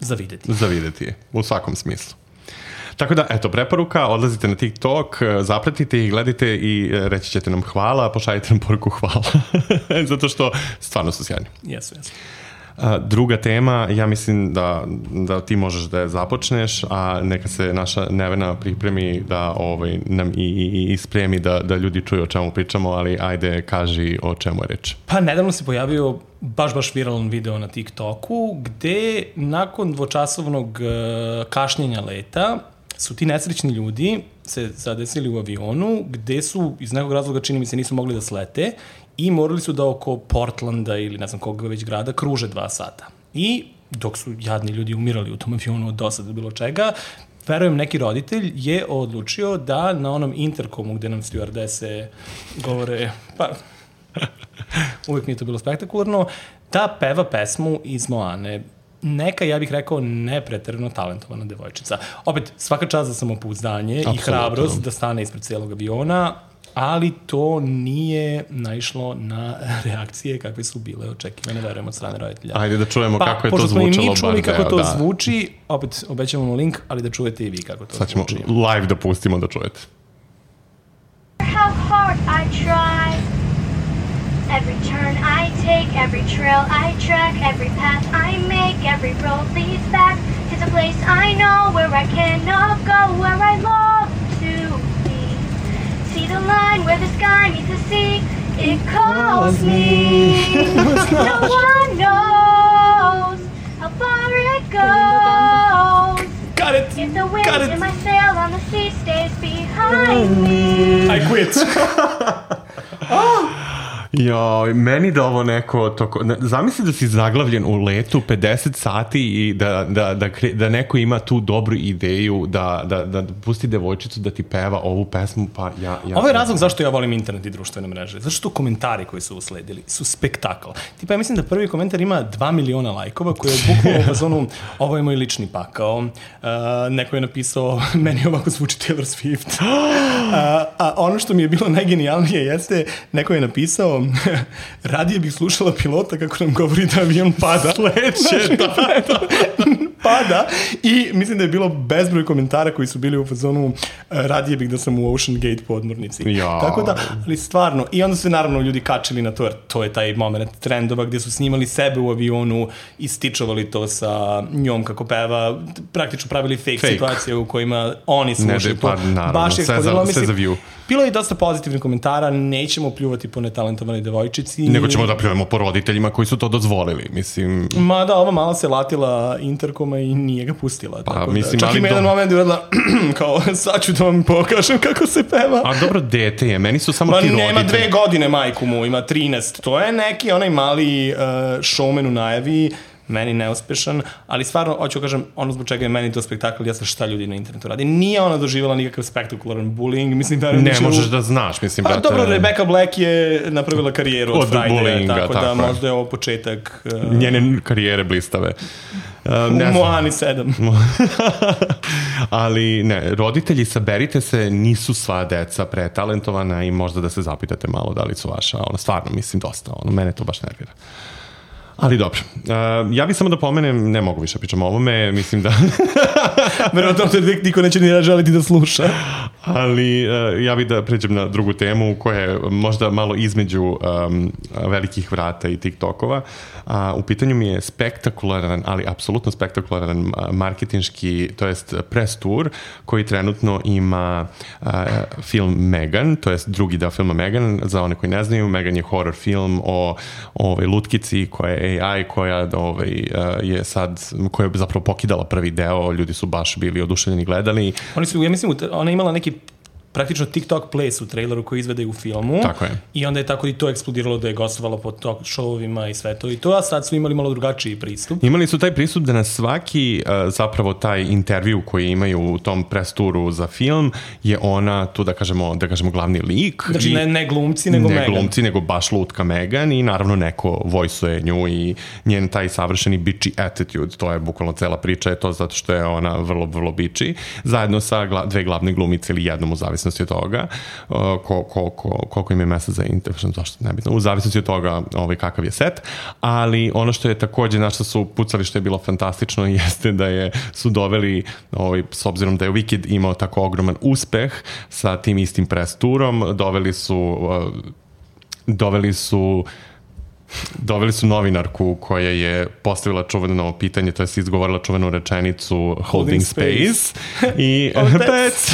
za videti. Za videti je, u svakom smislu. Tako da, eto, preporuka, odlazite na TikTok, zapratite ih, gledajte i reći ćete nam hvala, pošaljite nam poruku hvala. Zato što stvarno su sjajni. Jesu, jesu. Druga tema, ja mislim da, da ti možeš da je započneš, a neka se naša Nevena pripremi da ovaj, nam i, i, i spremi da, da ljudi čuju o čemu pričamo, ali ajde, kaži o čemu je reč. Pa nedavno se pojavio baš, baš viralan video na TikToku, gde nakon dvočasovnog kašnjenja leta su ti nesrećni ljudi se zadesili u avionu, gde su iz nekog razloga, čini mi se, nisu mogli da slete i morali su da oko Portlanda ili ne znam koga već grada kruže dva sata. I dok su jadni ljudi umirali u tom avionu od dosada bilo čega, verujem neki roditelj je odlučio da na onom interkomu gde nam stewardese govore, pa uvijek mi je to bilo spektakularno, da peva pesmu iz Moane. Neka, ja bih rekao, nepreterano talentovana devojčica. Opet, svaka čast za samopouzdanje i hrabrost da stane ispred celog aviona, ali to nije naišlo na reakcije kakve su bile očekivane, verujem, od strane roditelja. Ajde da čujemo pa, kako je to zvučalo. Pa, pošto smo i mi čuli kako to da. zvuči, opet obećavamo link, ali da čujete i vi kako to Sad ćemo zvuči. live da pustimo da čujete. How hard I try. Every turn I take, every trail I track, every path I make, every road leads back to the place I know where I cannot go, where I long to be. See the line where the sky meets the sea, it calls me. No one knows how far it goes. Got it! If the wind Got it! in my sail on the sea stays behind me. I quit! Joj, meni da ovo neko toko, zamisli da si zaglavljen u letu pedeset sati i da, da, da, da neko ima tu dobru ideju da, da, da pusti devojčicu da ti peva ovu pesmu, pa ja... ja Ovo je razlog zašto ja volim internet i društvene mreže. Zato što komentari koji su usledili su spektakl. Tipa, ja mislim da prvi komentar ima dva miliona lajkova koji je bukvalno u fazonu ovo je moj lični pakao. Uh, neko je napisao meni ovako zvuči Taylor Swift. Uh, a ono što mi je bilo najgenijalnije jeste neko je napisao radije bih slušala pilota kako nam govori da avion pada. Sleće, da, da. Pada i mislim da je bilo bezbroj komentara koji su bili u fazonu radije bih da sam u Ocean Gate podmornici. Ja. Tako da, ali stvarno, i onda su naravno ljudi kačili na to, jer to je taj moment trendova gdje su snimali sebe u avionu i stičovali to sa njom kako peva, praktično pravili fake, fake. situacije u kojima oni slušaju to. Pa, naravno, baš je sve, za, sve za view. Bilo je i dosta pozitivnih komentara, nećemo pljuvati po netalentovanoj devojčici. Nego ćemo da pljujemo po roditeljima koji su to dozvolili, mislim. Ma da, ova mala se latila interkoma i nije ga pustila. Pa, tako mislim, da, čak ima do... jedan moment uvedla, kao, sad ću da vam pokažem kako se peva. A dobro, dete je, meni su samo Ma, ti roditelji. nema dve godine majku mu, ima trinaest. To je neki onaj mali uh, showman u najavi, meni neuspešan, ali stvarno, hoću kažem, ono zbog čega je meni to spektakl, jeste šta ljudi na internetu radi. Nije ona doživjela nikakav spektakularan bullying, mislim da... Ne možeš u... da znaš, mislim, pa, brate... Dobro, Rebecca Black je napravila karijeru od, od Friday, tako, tako da je. možda je ovo početak... Uh... Njene karijere blistave. Uh, u Moani sedam. Ali ne, roditelji, saberite se, nisu sva deca pretalentovana i možda da se zapitate malo da li su vaša, ono, stvarno, mislim, dosta, ono, mene to baš nervira. Ali dobro, uh, ja bih samo da pomenem, ne mogu više pričam o ovome, mislim da... Verovatno te niko neće ni želiti da sluša. Ali uh, ja bih da pređem na drugu temu koja je možda malo između um, velikih vrata i TikTokova. Uh, u pitanju mi je spektakularan, ali apsolutno spektakularan marketinški, to jest press tour koji trenutno ima uh, film Megan, to jest drugi deo filma Megan. Za one koji ne znaju, Megan je horror film o, o ovoj lutkici koja je A I, koja ovaj, uh, je sad, koja je zapravo pokidala prvi deo, ljudi su baš bili oduševljeni gledali. Oni su, ja mislim, ona je imala neki praktično TikTok place u traileru koji izvede u filmu. Tako je. I onda je tako i to eksplodiralo da je gostovala po talk showovima i sve to i to, a sad su imali malo drugačiji pristup. Imali su taj pristup da na svaki uh, zapravo taj intervju koji imaju u tom press turu za film je ona tu da kažemo, da kažemo glavni lik. Znači i, ne, ne glumci, nego ne Megan. Ne glumci, nego baš lutka Megan i naravno neko vojsuje nju i njen taj savršeni bitchy attitude, to je bukvalno cela priča, je to zato što je ona vrlo, vrlo bitchy, zajedno sa gla, dve glavne glumice ili jednom u zavisnosti zavisnosti od toga uh, ko, ko, ko, koliko im je mesta za intervju, zašto nebitno, u zavisnosti od toga ovaj, kakav je set, ali ono što je takođe, na što su pucali, što je bilo fantastično, jeste da je, su doveli, ovaj, s obzirom da je Wicked imao tako ogroman uspeh sa tim istim press turom, doveli su uh, doveli su doveli su novinarku koja je postavila čuveno pitanje, to je izgovorila čuvenu rečenicu Holding, Holding Space, space. I, pets.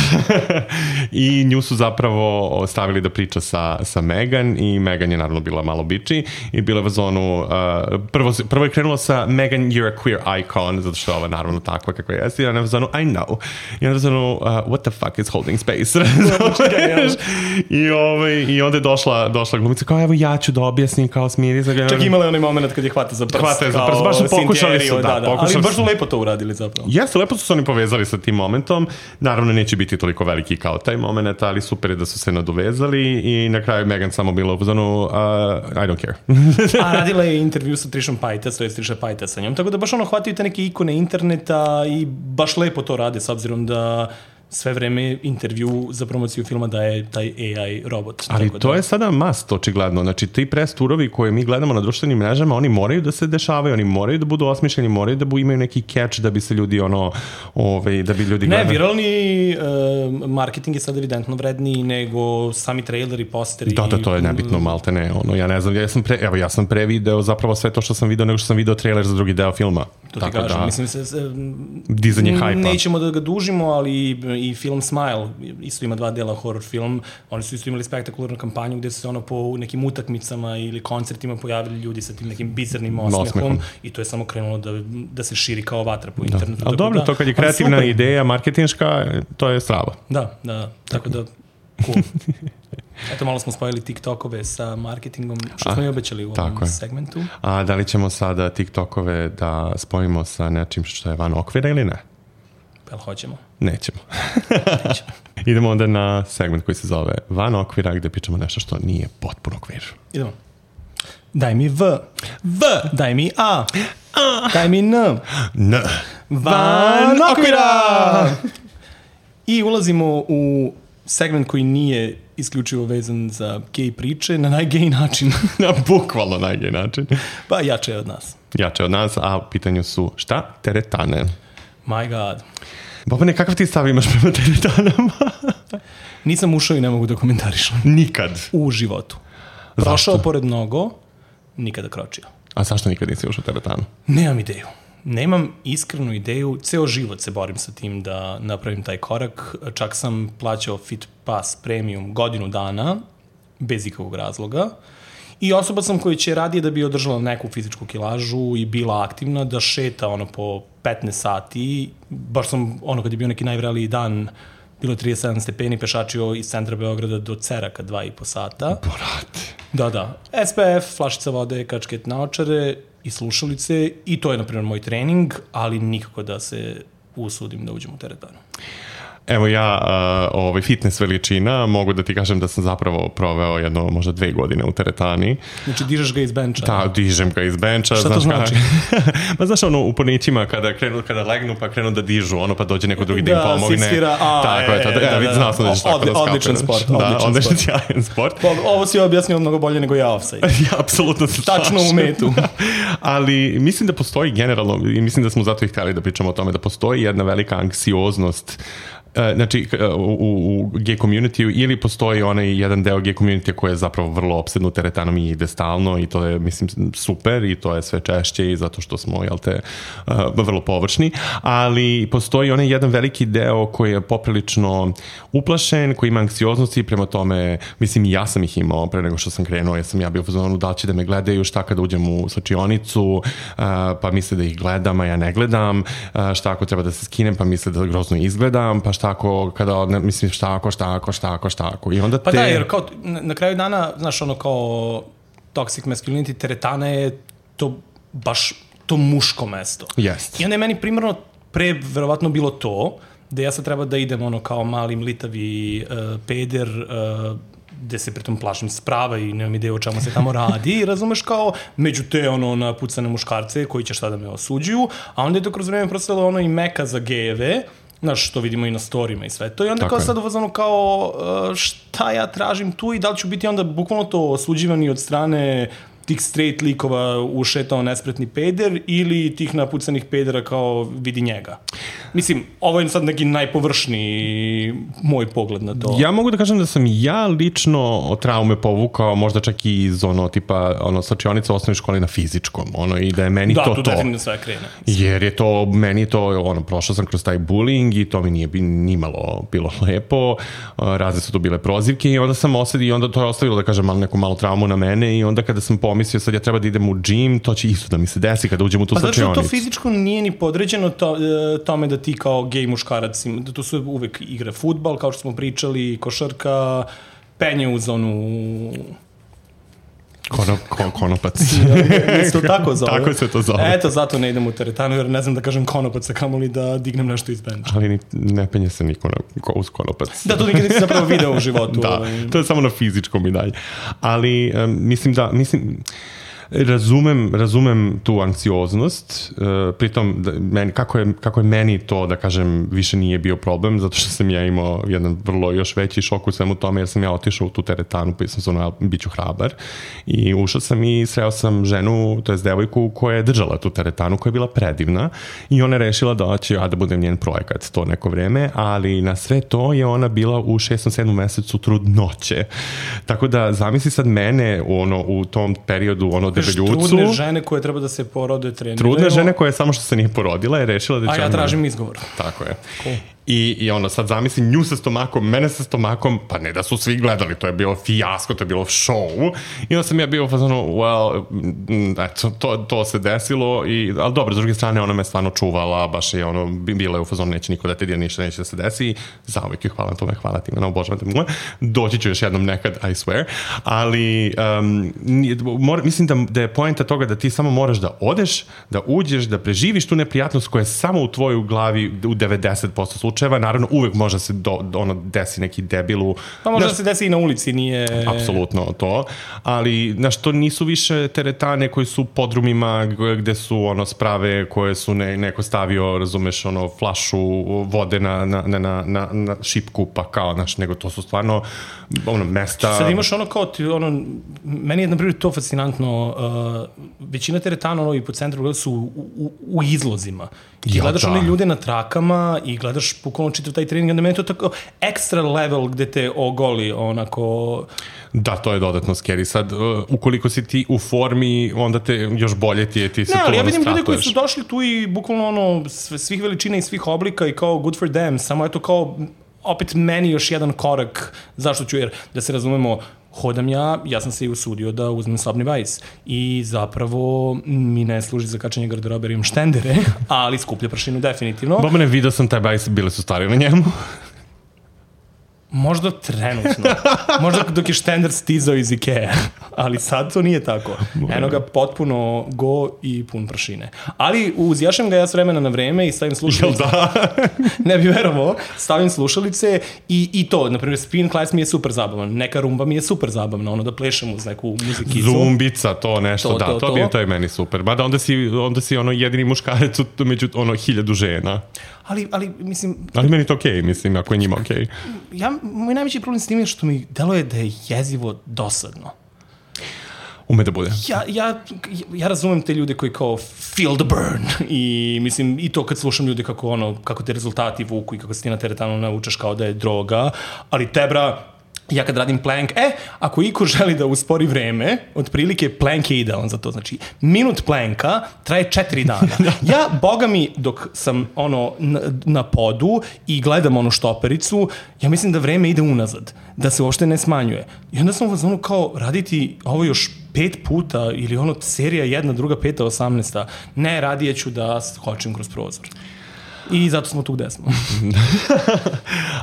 I nju su zapravo stavili da priča sa, sa Megan i Megan je naravno bila malo biči i bila je u zonu, uh, prvo, prvo je krenulo sa Megan, you're a queer icon, zato što je ova naravno takva kakva je, i ona je u zonu, I know. I onda je u zonu, uh, what the fuck is Holding Space? I, ovaj, I onda je došla, došla glumica kao, evo ja ću da objasnim, kao smiri. Čak imala je onaj moment kad je hvata za prst. Hvata je za prst, baš su pokušali su, da, da, da. pokušali ali baš su lepo to uradili zapravo. Jeste, lepo su se oni povezali sa tim momentom. Naravno, neće biti toliko veliki kao taj moment, ali super je da su se nadovezali i na kraju Megan samo bila u zonu, uh, I don't care. A radila je intervju sa Trishom Paytas, to je Trisha Paytas sa njom, tako da baš ono hvataju te neke ikone interneta i baš lepo to rade, s obzirom da sve vreme intervju za promociju filma daje taj A I robot. Ali to da... je sada must, očigledno. Znači, ti press turovi koje mi gledamo na društvenim mrežama, oni moraju da se dešavaju, oni moraju da budu osmišljeni, moraju da bu, imaju neki catch da bi se ljudi ono, ovaj, da bi ljudi gledali. Ne, viralni uh, marketing je sad evidentno vredniji nego sami traileri, posteri. Da, da, to je nebitno, malte ne. Ono, ja ne znam, ja sam, pre, evo, ja sam prevideo zapravo sve to što sam video, nego što sam video trailer za drugi deo filma. To ti kažem, da, mislim se... dizanje hajpa. Nećemo da ga dužimo, ali i film Smile, isto ima dva dela horror film, oni su isto imali spektakularnu kampanju gde su se ono po nekim utakmicama ili koncertima pojavili ljudi sa tim nekim bizarnim osmehom i to je samo krenulo da, da se širi kao vatra po internetu. Da. Ali dobro, da, to kad je kreativna ideja, marketinška, to je strava. Da, da, tako da, cool. Eto, malo smo spojili TikTokove sa marketingom, što smo i obećali u ovom segmentu. A da li ćemo sada TikTokove da spojimo sa nečim što je van okvira ili ne? Jel hoćemo? Nećemo. Nećemo. Idemo onda na segment koji se zove Van okvira, gde pričamo nešto što nije potpuno okvir. Idemo. Daj mi V. V. Daj mi A. A. Daj mi N. N. Van okvira! I ulazimo u segment koji nije isključivo vezan za gej priče, na najgej način. Na bukvalno najgej način. Pa jače je od nas. Jače od nas, a u pitanju su šta? Teretane. My God. Bobane, kakav ti stav imaš prema teretanama? Nisam ušao i ne mogu da komentarišem. Nikad? U životu. Prošao zašto? Pored mnogo, nikada kročio. A zašto nikad nisi ušao u teretanu? Nemam ideju. Nemam iskrenu ideju, ceo život se borim sa tim da napravim taj korak. Čak sam plaćao Fit Pass Premium godinu dana, bez ikakvog razloga. I osoba sam koja će radije da bi održala neku fizičku kilažu i bila aktivna, da šeta ono po petnaest sati. Baš sam, ono kad je bio neki najvreliji dan, bilo je trideset sedam stepeni, pešačio iz centra Beograda do Ceraka dva i po sata. Brate. Da, da. S P F, flašica vode, kačket naočare i slušalice i to je, na primjer, moj trening, ali nikako da se usudim da uđem u teretanu. Evo ja, uh, ovaj fitness veličina, mogu da ti kažem da sam zapravo proveo jedno, možda dve godine u teretani. Znači, dižeš ga iz benča? Da, dižem ga iz benča. Šta to znači? Ma znaš, ono, u ponićima kada, krenu, kada legnu pa krenu da dižu, ono pa dođe neko drugi da im pomogne. Da, sisvira, a, tako je, to, da, da, da, znao sam da ćeš tako da skape. Odličan sport, da, odličan sport. Sjajan sport. Ovo si objasnio mnogo bolje nego ja offside. Ja, apsolutno se slažem. Tačno u metu. Ali mislim da postoji generalno, i mislim da smo zato i htjeli da pričamo o tome, da postoji jedna velika anksioznost znači u, u, u gay community ili postoji onaj jedan deo gay community koji je zapravo vrlo opsednut teretanom i ide stalno i to je mislim super i to je sve češće i zato što smo jel te uh, vrlo površni, ali postoji onaj jedan veliki deo koji je poprilično uplašen, koji ima anksioznosti prema tome, mislim i ja sam ih imao pre nego što sam krenuo, ja sam ja bio u fazonu da će da me gledaju, šta kada uđem u slačionicu, uh, pa misle da ih gledam, a ja ne gledam, uh, šta ako treba da se skinem, pa misle da grozno izgledam, pa šta ako, kada, ne, mislim, šta ako, šta ako, šta ako, šta ako. I onda te... Pa da, jer kao, na, na kraju dana, znaš, ono kao toxic masculinity, teretana je to baš to muško mesto. Jest. I onda je meni primarno pre, verovatno bilo to, da ja sad treba da idem ono kao mali mlitavi uh, peder, uh, gde se pritom plašim sprava i nemam ideju o čemu se tamo radi i razumeš kao među te ono napucane muškarce koji će šta da me osuđuju, a onda je to kroz vreme prostalo ono i meka za gejeve Znaš, što vidimo i na storijima i sve to. I onda Tako kao je. sad uvazano kao uh, šta ja tražim tu i da li ću biti onda bukvalno to osuđivani od strane tih straight likova ušetao nespretni peder ili tih napucanih pedera kao vidi njega. Mislim, ovo je sad neki najpovršniji moj pogled na to. Ja mogu da kažem da sam ja lično od traume povukao možda čak i iz ono tipa ono slačionice u osnovnoj školi na fizičkom, ono i da je meni da, to to. Da, tu definitivno sve krene. Jer je to, meni to, ono, prošao sam kroz taj bullying i to mi nije bi, nimalo bilo lepo, razne su to bile prozivke i onda sam osedio i onda to je ostavilo, da kažem, malo, neku malu traumu na mene i onda kada sam pomislio sad ja treba da idem u džim, to će isto da mi se desi kada uđem u tu pa slačionicu. Pa zato to fizičko nije ni podređeno to, tome da ti kao gej muškarac, da to su uvek igre fudbal, kao što smo pričali, košarka, penje u zonu... Kono, kon, konopac. Ja, to tako zove. Tako se to zove. Eto, zato ne idem u teretanu, jer ne znam da kažem konopac, a kamoli da dignem nešto iz benča. Ali ni, ne penje se niko na, ko, uz konopac. Da, to nikad nisi zapravo video u životu. Da, to je samo na fizičkom i dalje. Ali um, mislim da, mislim... Razumem, razumem tu anksioznost, uh, pritom da, meni, kako, je, kako je meni to, da kažem, više nije bio problem, zato što sam ja imao jedan vrlo još veći šok u svemu tome, jer sam ja otišao u tu teretanu, pa sam se ono, bit ću hrabar, i ušao sam i sreo sam ženu, to je devojku koja je držala tu teretanu, koja je bila predivna, i ona je rešila da će ja da budem njen projekat to neko vreme, ali na sve to je ona bila u šestom, sedmom mesecu trudnoće. Tako da, zamisli sad mene ono, u tom periodu, ono, debeljucu. Trudne žene koje treba da se porode treniraju. Trudne žene koje samo što se nije porodila je rešila da će... A ja tražim izgovor. Tako je. Cool. I, I ono, sad zamisli nju sa stomakom, mene sa stomakom, pa ne da su svi gledali, to je bilo fijasko, to je bilo show. I onda sam ja bio fazano, well, eto, to, to se desilo, i, ali dobro, s druge strane, ona me stvarno čuvala, baš je ono, bila je u fazonu, neće niko da te dira, ništa neće da se desi, zauvijek je hvala tome, hvala ti, ono, obožavam te moje, doći ću još jednom nekad, I swear, ali um, mora, mislim da, da je poenta toga da ti samo moraš da odeš, da uđeš, da preživiš tu neprijatnost koja je samo u tvojoj glavi u devedeset posto slučaja. Naravno, uvek može se do, ono, desi neki debilu. Pa može da se desi i na ulici, nije... Apsolutno to, ali, znaš, to nisu više teretane koji su podrumima gde su, ono, sprave koje su ne, neko stavio, razumeš, ono, flašu vode na, na, na, na, na šipku, pa kao, znaš, nego to su stvarno, ono, mesta... Sad imaš ono kao, ti, ono, meni je, na primjer, to fascinantno, uh, većina teretana, ono, i po centru su u, u, u izlozima. I ti ja, gledaš da. one ljude na trakama i gledaš bukvalno čitav taj trening, onda meni je to tako ekstra level gde te ogoli, onako... Da, to je dodatno scary. Sad, uh, ukoliko si ti u formi, onda te još bolje ti je, ti se ne, to ali ja ono vidim ljude koji stratuješ. su došli tu i bukvalno ono, svih veličina i svih oblika i kao good for them, samo eto kao opet meni još jedan korak, zašto ću, jer da se razumemo, hodam ja, ja sam se i usudio da uzmem sobni bajs i zapravo mi ne služi za kačanje garderobe jer imam štendere, ali skuplja prašinu definitivno. Bobane, vidio sam taj bajs, bile su stari na njemu. Možda trenutno. Možda dok je štender stizao iz Ikea. Ali sad to nije tako. Eno ga potpuno go i pun prašine. Ali uzjašem ga ja s vremena na vreme i stavim slušalice. Jel da? Ne bi verovao. Stavim slušalice i, i to. Naprimjer, spin class mi je super zabavan. Neka rumba mi je super zabavna. Ono da plešem uz neku muzikicu. Zumbica, to nešto, To, da, to, to, to. bi to je meni super. Mada onda si, onda si ono jedini muškarec u- među ono hiljadu žena. Ali, ali, mislim... Ali meni to okej, okay, mislim, ako je njima okej. Okay. Ja, moj najveći problem s tim je što mi deluje da je jezivo dosadno. Ume da bude. Ja, ja, ja razumem te ljude koji kao feel the burn i mislim i to kad slušam ljude kako ono, kako te rezultati vuku i kako se ti na teretanu naučaš kao da je droga, ali tebra, ja kad radim plank, e, ako iko želi da uspori vreme, otprilike plank je idealan za to. Znači, minut planka traje četiri dana. Ja, boga mi, dok sam ono na, na podu i gledam onu štopericu, ja mislim da vreme ide unazad, da se uopšte ne smanjuje. I onda sam u fazonu kao raditi ovo još pet puta ili ono serija jedna, druga, peta, osamnesta. Ne, radije ću da skočim kroz prozor. I zato smo tu gde smo.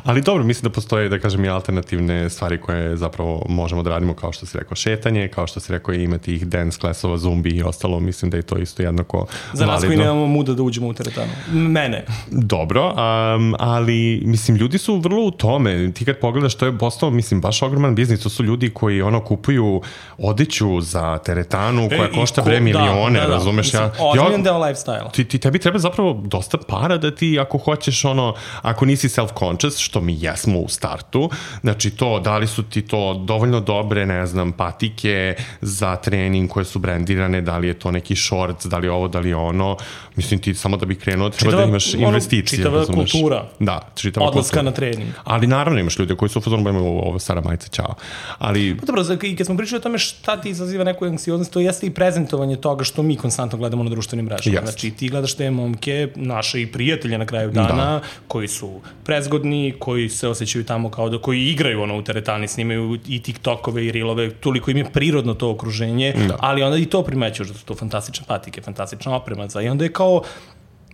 Ali dobro, mislim da postoje, da kažem, i alternativne stvari koje zapravo možemo da radimo, kao što si rekao, šetanje, kao što si rekao, imati ih dance klasova, zumbi i ostalo, mislim da je to isto jednako Za nas koji validno. nemamo muda da uđemo u teretanu. Mene. Dobro, um, ali mislim, ljudi su vrlo u tome. Ti kad pogledaš, to je postao, mislim, baš ogroman biznis. To su ljudi koji ono kupuju odeću za teretanu koja E, košta ko- bre da, milione, da, da. razumeš? Mislim, Ja, ozbiljan ja, deo lifestyle. ti, ti, tebi treba zapravo dosta para da ti ako hoćeš ono, ako nisi self-conscious, što mi jesmo u startu, znači to, da li su ti to dovoljno dobre, ne znam, patike za trening koje su brendirane, da li je to neki shorts, da li je ovo, da li je ono, mislim ti samo da bi krenuo treba čitava, da imaš investicije. Čitava razumeš. Kultura. Da, čitava odlaska kultura. Na trening. Ali naravno imaš ljudi koji su u fazonu imaju ovo stara majica, čao. Ali... Pa dobro, i kad smo pričali o tome šta ti izaziva neku anksioznost, to jeste i prezentovanje toga što mi konstantno gledamo na društvenim mrežama. Yes. Znači ti gledaš te momke, naše i prijatelje na kraju dana, da. Koji su prezgodni, koji se osjećaju tamo kao da, koji igraju ono u teretani, snimaju i TikTokove i Reelove, toliko im je prirodno to okruženje, da. Ali onda i to primećuš da su to fantastične patike, fantastična oprema za i onda je kao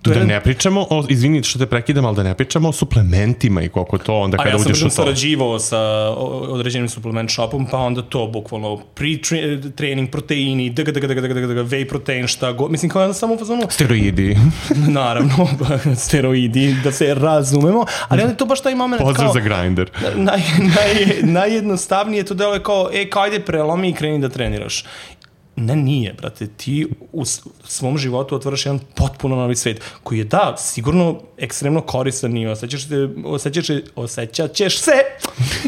Da ne pričamo o, izvini što te prekidam, ali da ne pričamo o suplementima i koliko to onda kada uđeš u to. A ja sam sarađivao sa određenim suplement shopom, pa onda to bukvalno pre-trening, proteini, dg, dg, dg, dg, dg, whey protein, šta go, mislim kao onda samo u fazonu... Steroidi. Naravno, steroidi, da se razumemo, ali onda je to baš taj moment Pozdrav kao... za grinder. Naj, naj, najjednostavnije to delo je kao, e, kao ajde prelomi i kreni da treniraš. Ne, nije, brate, ti u svom životu otvaraš jedan potpuno novi svet, koji je, da, sigurno ekstremno koristan i osjećaš, te, osjećaš, osjećat ćeš se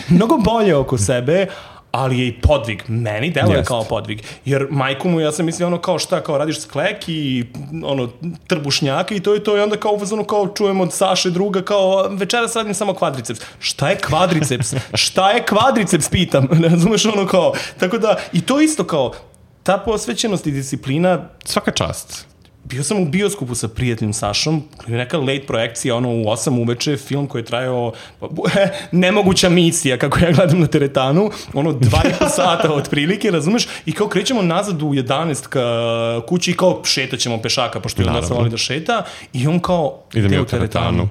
mnogo bolje oko sebe, ali je i podvig. Meni deluje yes. kao podvig. Jer majku mu, ja sam mislio ono kao šta, kao radiš sklek i ono, trbušnjaka i to je to i onda kao uvazano kao čujem od Saše druga kao večeras radim samo kvadriceps. Šta je kvadriceps? Šta je kvadriceps, pitam. Ne razumeš ono kao. Tako da, i to isto kao ta posvećenost i disciplina... Svaka čast. Bio sam u bioskopu sa prijateljim Sašom, neka late projekcija, ono u osam uveče, film koji je trajao nemoguća misija, kako ja gledam na teretanu, ono dva i po sata otprilike, razumeš? I kao krećemo nazad u jedanaest ka kući i kao šetaćemo pešaka, pošto je onda sam voli da šeta, i on kao ide u teretanu.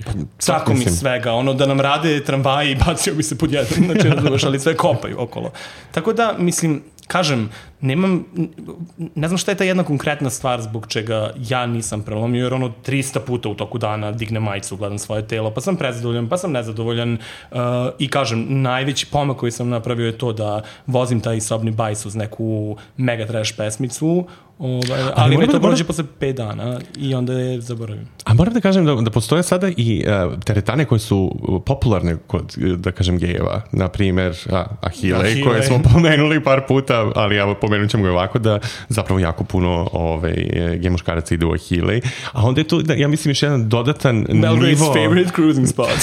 Pa, tako mi svega, ono da nam rade tramvaji i bacio bi se pod jedan, znači razumeš, ali sve kopaju okolo. Tako da, mislim, kažem, nemam, ne znam šta je ta jedna konkretna stvar zbog čega ja nisam prelomio, jer ono trista puta u toku dana dignem majicu, gledam svoje telo, pa sam prezadovoljan, pa sam nezadovoljan uh, i kažem, najveći pomak koji sam napravio je to da vozim taj sobni bajs uz neku mega trash pesmicu, ovaj, ali, ali me to prođe posle pet dana i onda je zaboravim. A moram da kažem da, da postoje sada i uh, teretane koje su popularne kod, da kažem, gejeva, na primer a, Ahile, koje smo pomenuli par puta, ali ja pomenut ćemo ga ovako, da zapravo jako puno ovaj, gej muškaraca ide u Ahile, a onda je tu, da, ja mislim, još jedan dodatan Belgrade's nivo... favorite cruising spot.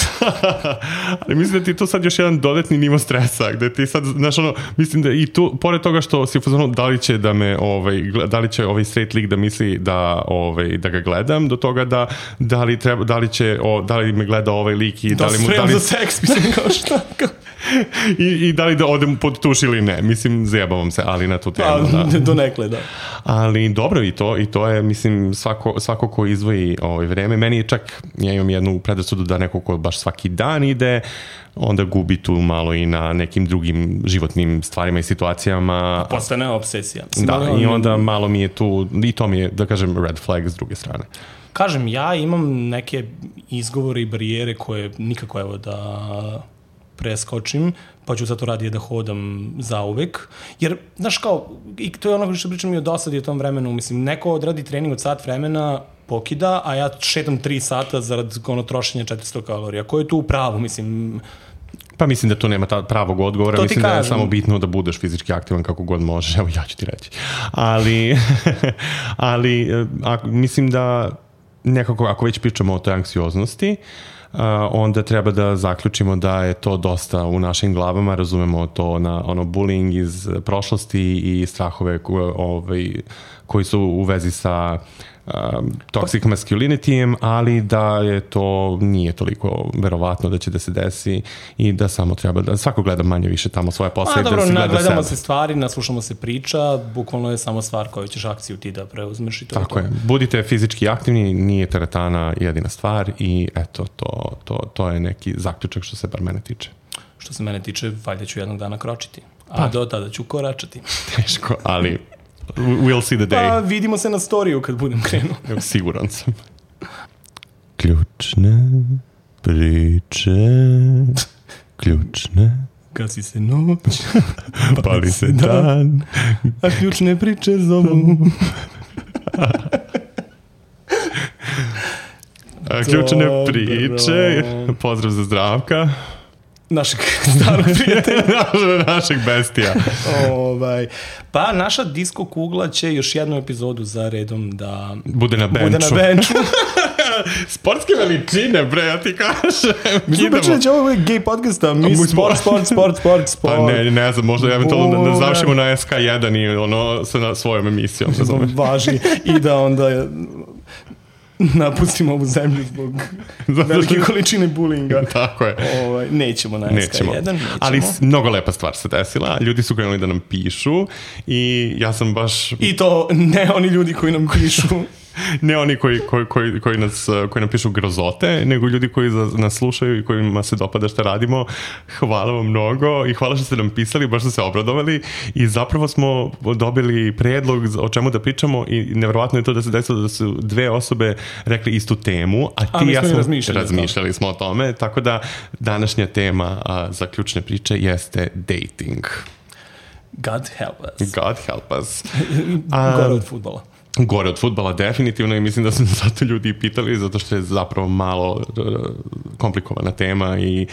Ali mislim da ti tu sad još jedan dodatni nivo stresa, gde ti sad, znaš ono, mislim da i tu, pored toga što si u fazonu, da li će da me, ovaj, da li će ovaj straight lik da misli da, ovaj, da ga gledam, do toga da, da li treba, da li će, o, da li me gleda ovaj lik i da, da li mu... Da spremam za seks, mislim, kao šta, kao... I, I da li da odem pod tuš ili ne. Mislim, zajebavam se, ali na tu temu. A, da. Donekle, da. Ali dobro, i to, i to je, mislim, svako, svako ko izvoji ovaj vreme. Meni je čak, ja imam jednu predrasudu da neko ko baš svaki dan ide, onda gubi tu malo i na nekim drugim životnim stvarima i situacijama. Postane obsesija. Da, i onda malo mi je tu, i to mi je, da kažem, red flag s druge strane. Kažem, ja imam neke izgovore i barijere koje nikako, evo, da preskočim, pa ću sad to radije da hodam zauvek. Jer, znaš kao, i to je ono što pričam i o dosadi u tom vremenu, mislim, neko odradi trening od sat vremena, pokida, a ja šetam tri sata zarad ono trošenja četiristo kalorija. Ko je tu u pravu, mislim... Pa mislim da tu nema ta pravog odgovora, mislim kažem. Da je samo bitno da budeš fizički aktivan kako god možeš, evo ja ću ti reći. Ali, ali a, mislim da nekako, ako već pričamo o toj anksioznosti, Uh, onda treba da zaključimo da je to dosta u našim glavama, razumemo to na ono bullying iz prošlosti i strahove ko, ovaj, koji su u vezi sa um, toxic masculinity-em, ali da je to nije toliko verovatno da će da se desi i da samo treba da svako gleda manje više tamo svoje posle. A dobro, da se gleda gledamo sebe. Se stvari, naslušamo se priča, bukvalno je samo stvar koju ćeš akciju ti da preuzmeš i to. Tako je. je. Budite fizički aktivni, nije teretana jedina stvar i eto, to, to, to je neki zaključak što se bar mene tiče. Što se mene tiče, valjda ću jednog dana kročiti. A pa. Do tada ću koračati. Teško, ali we'll see the day. Pa vidimo se na storiju kad budem krenuo. Siguran sam. Ključne priče, ključne. Gasi se noć, pali se dan, a ključne priče zovu. Ključne priče. Pozdrav za Zdravka. Našeg starog prijatelja. Našeg bestija. ovaj. Pa naša disko kugla će još jednu epizodu za redom da bude na benču. Bude na benču. Sportske veličine, bre, ja ti kažem. Mi smo pričali da će ovo gej podcasta, mi sport, sport, sport, sport, sport. Pa ne, ne znam, možda eventualno da, da završimo na S K jedan i ono sa svojom emisijom. Važi i da onda napustimo ovu zemlju zbog velike količine bulinga. Tako je. Ovaj, nećemo na S K jedan. Nećemo. Ali mnogo lepa stvar se desila. Ljudi su krenuli da nam pišu i ja sam baš... I to ne oni ljudi koji nam pišu. Ne oni koji, koji, koji, koji, nas, koji nam pišu grozote, nego ljudi koji nas slušaju i kojima se dopada što radimo. Hvala vam mnogo i hvala što ste nam pisali, baš ste se obradovali i zapravo smo dobili predlog o čemu da pričamo i nevjerovatno je to da se desilo da su dve osobe rekli istu temu, a ti a, ja smo razmišljali, razmišljali smo o tome, tako da današnja tema a, za ključne priče jeste dating. God help us. God help us. Gore od fudbala. Gore od fudbala definitivno i mislim da su zato ljudi pitali zato što je zapravo malo komplikovana tema i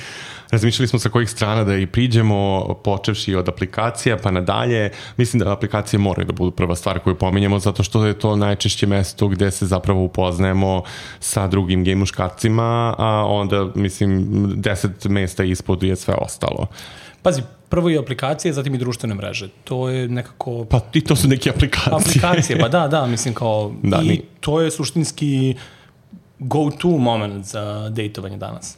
razmišljali smo sa kojih strana da i priđemo počevši od aplikacija pa nadalje. Mislim da aplikacije moraju da budu prva stvar koju pominjemo zato što je to najčešće mesto gde se zapravo upoznajemo sa drugim gej muškarcima, a onda mislim deset mesta ispod je sve ostalo. Pazi, prvo i aplikacije, zatim i društvene mreže. To je nekako... Pa i to su neke aplikacije. Aplikacije, pa da, da, mislim kao... Da, i ni... to je suštinski go-to moment za dejtovanje danas.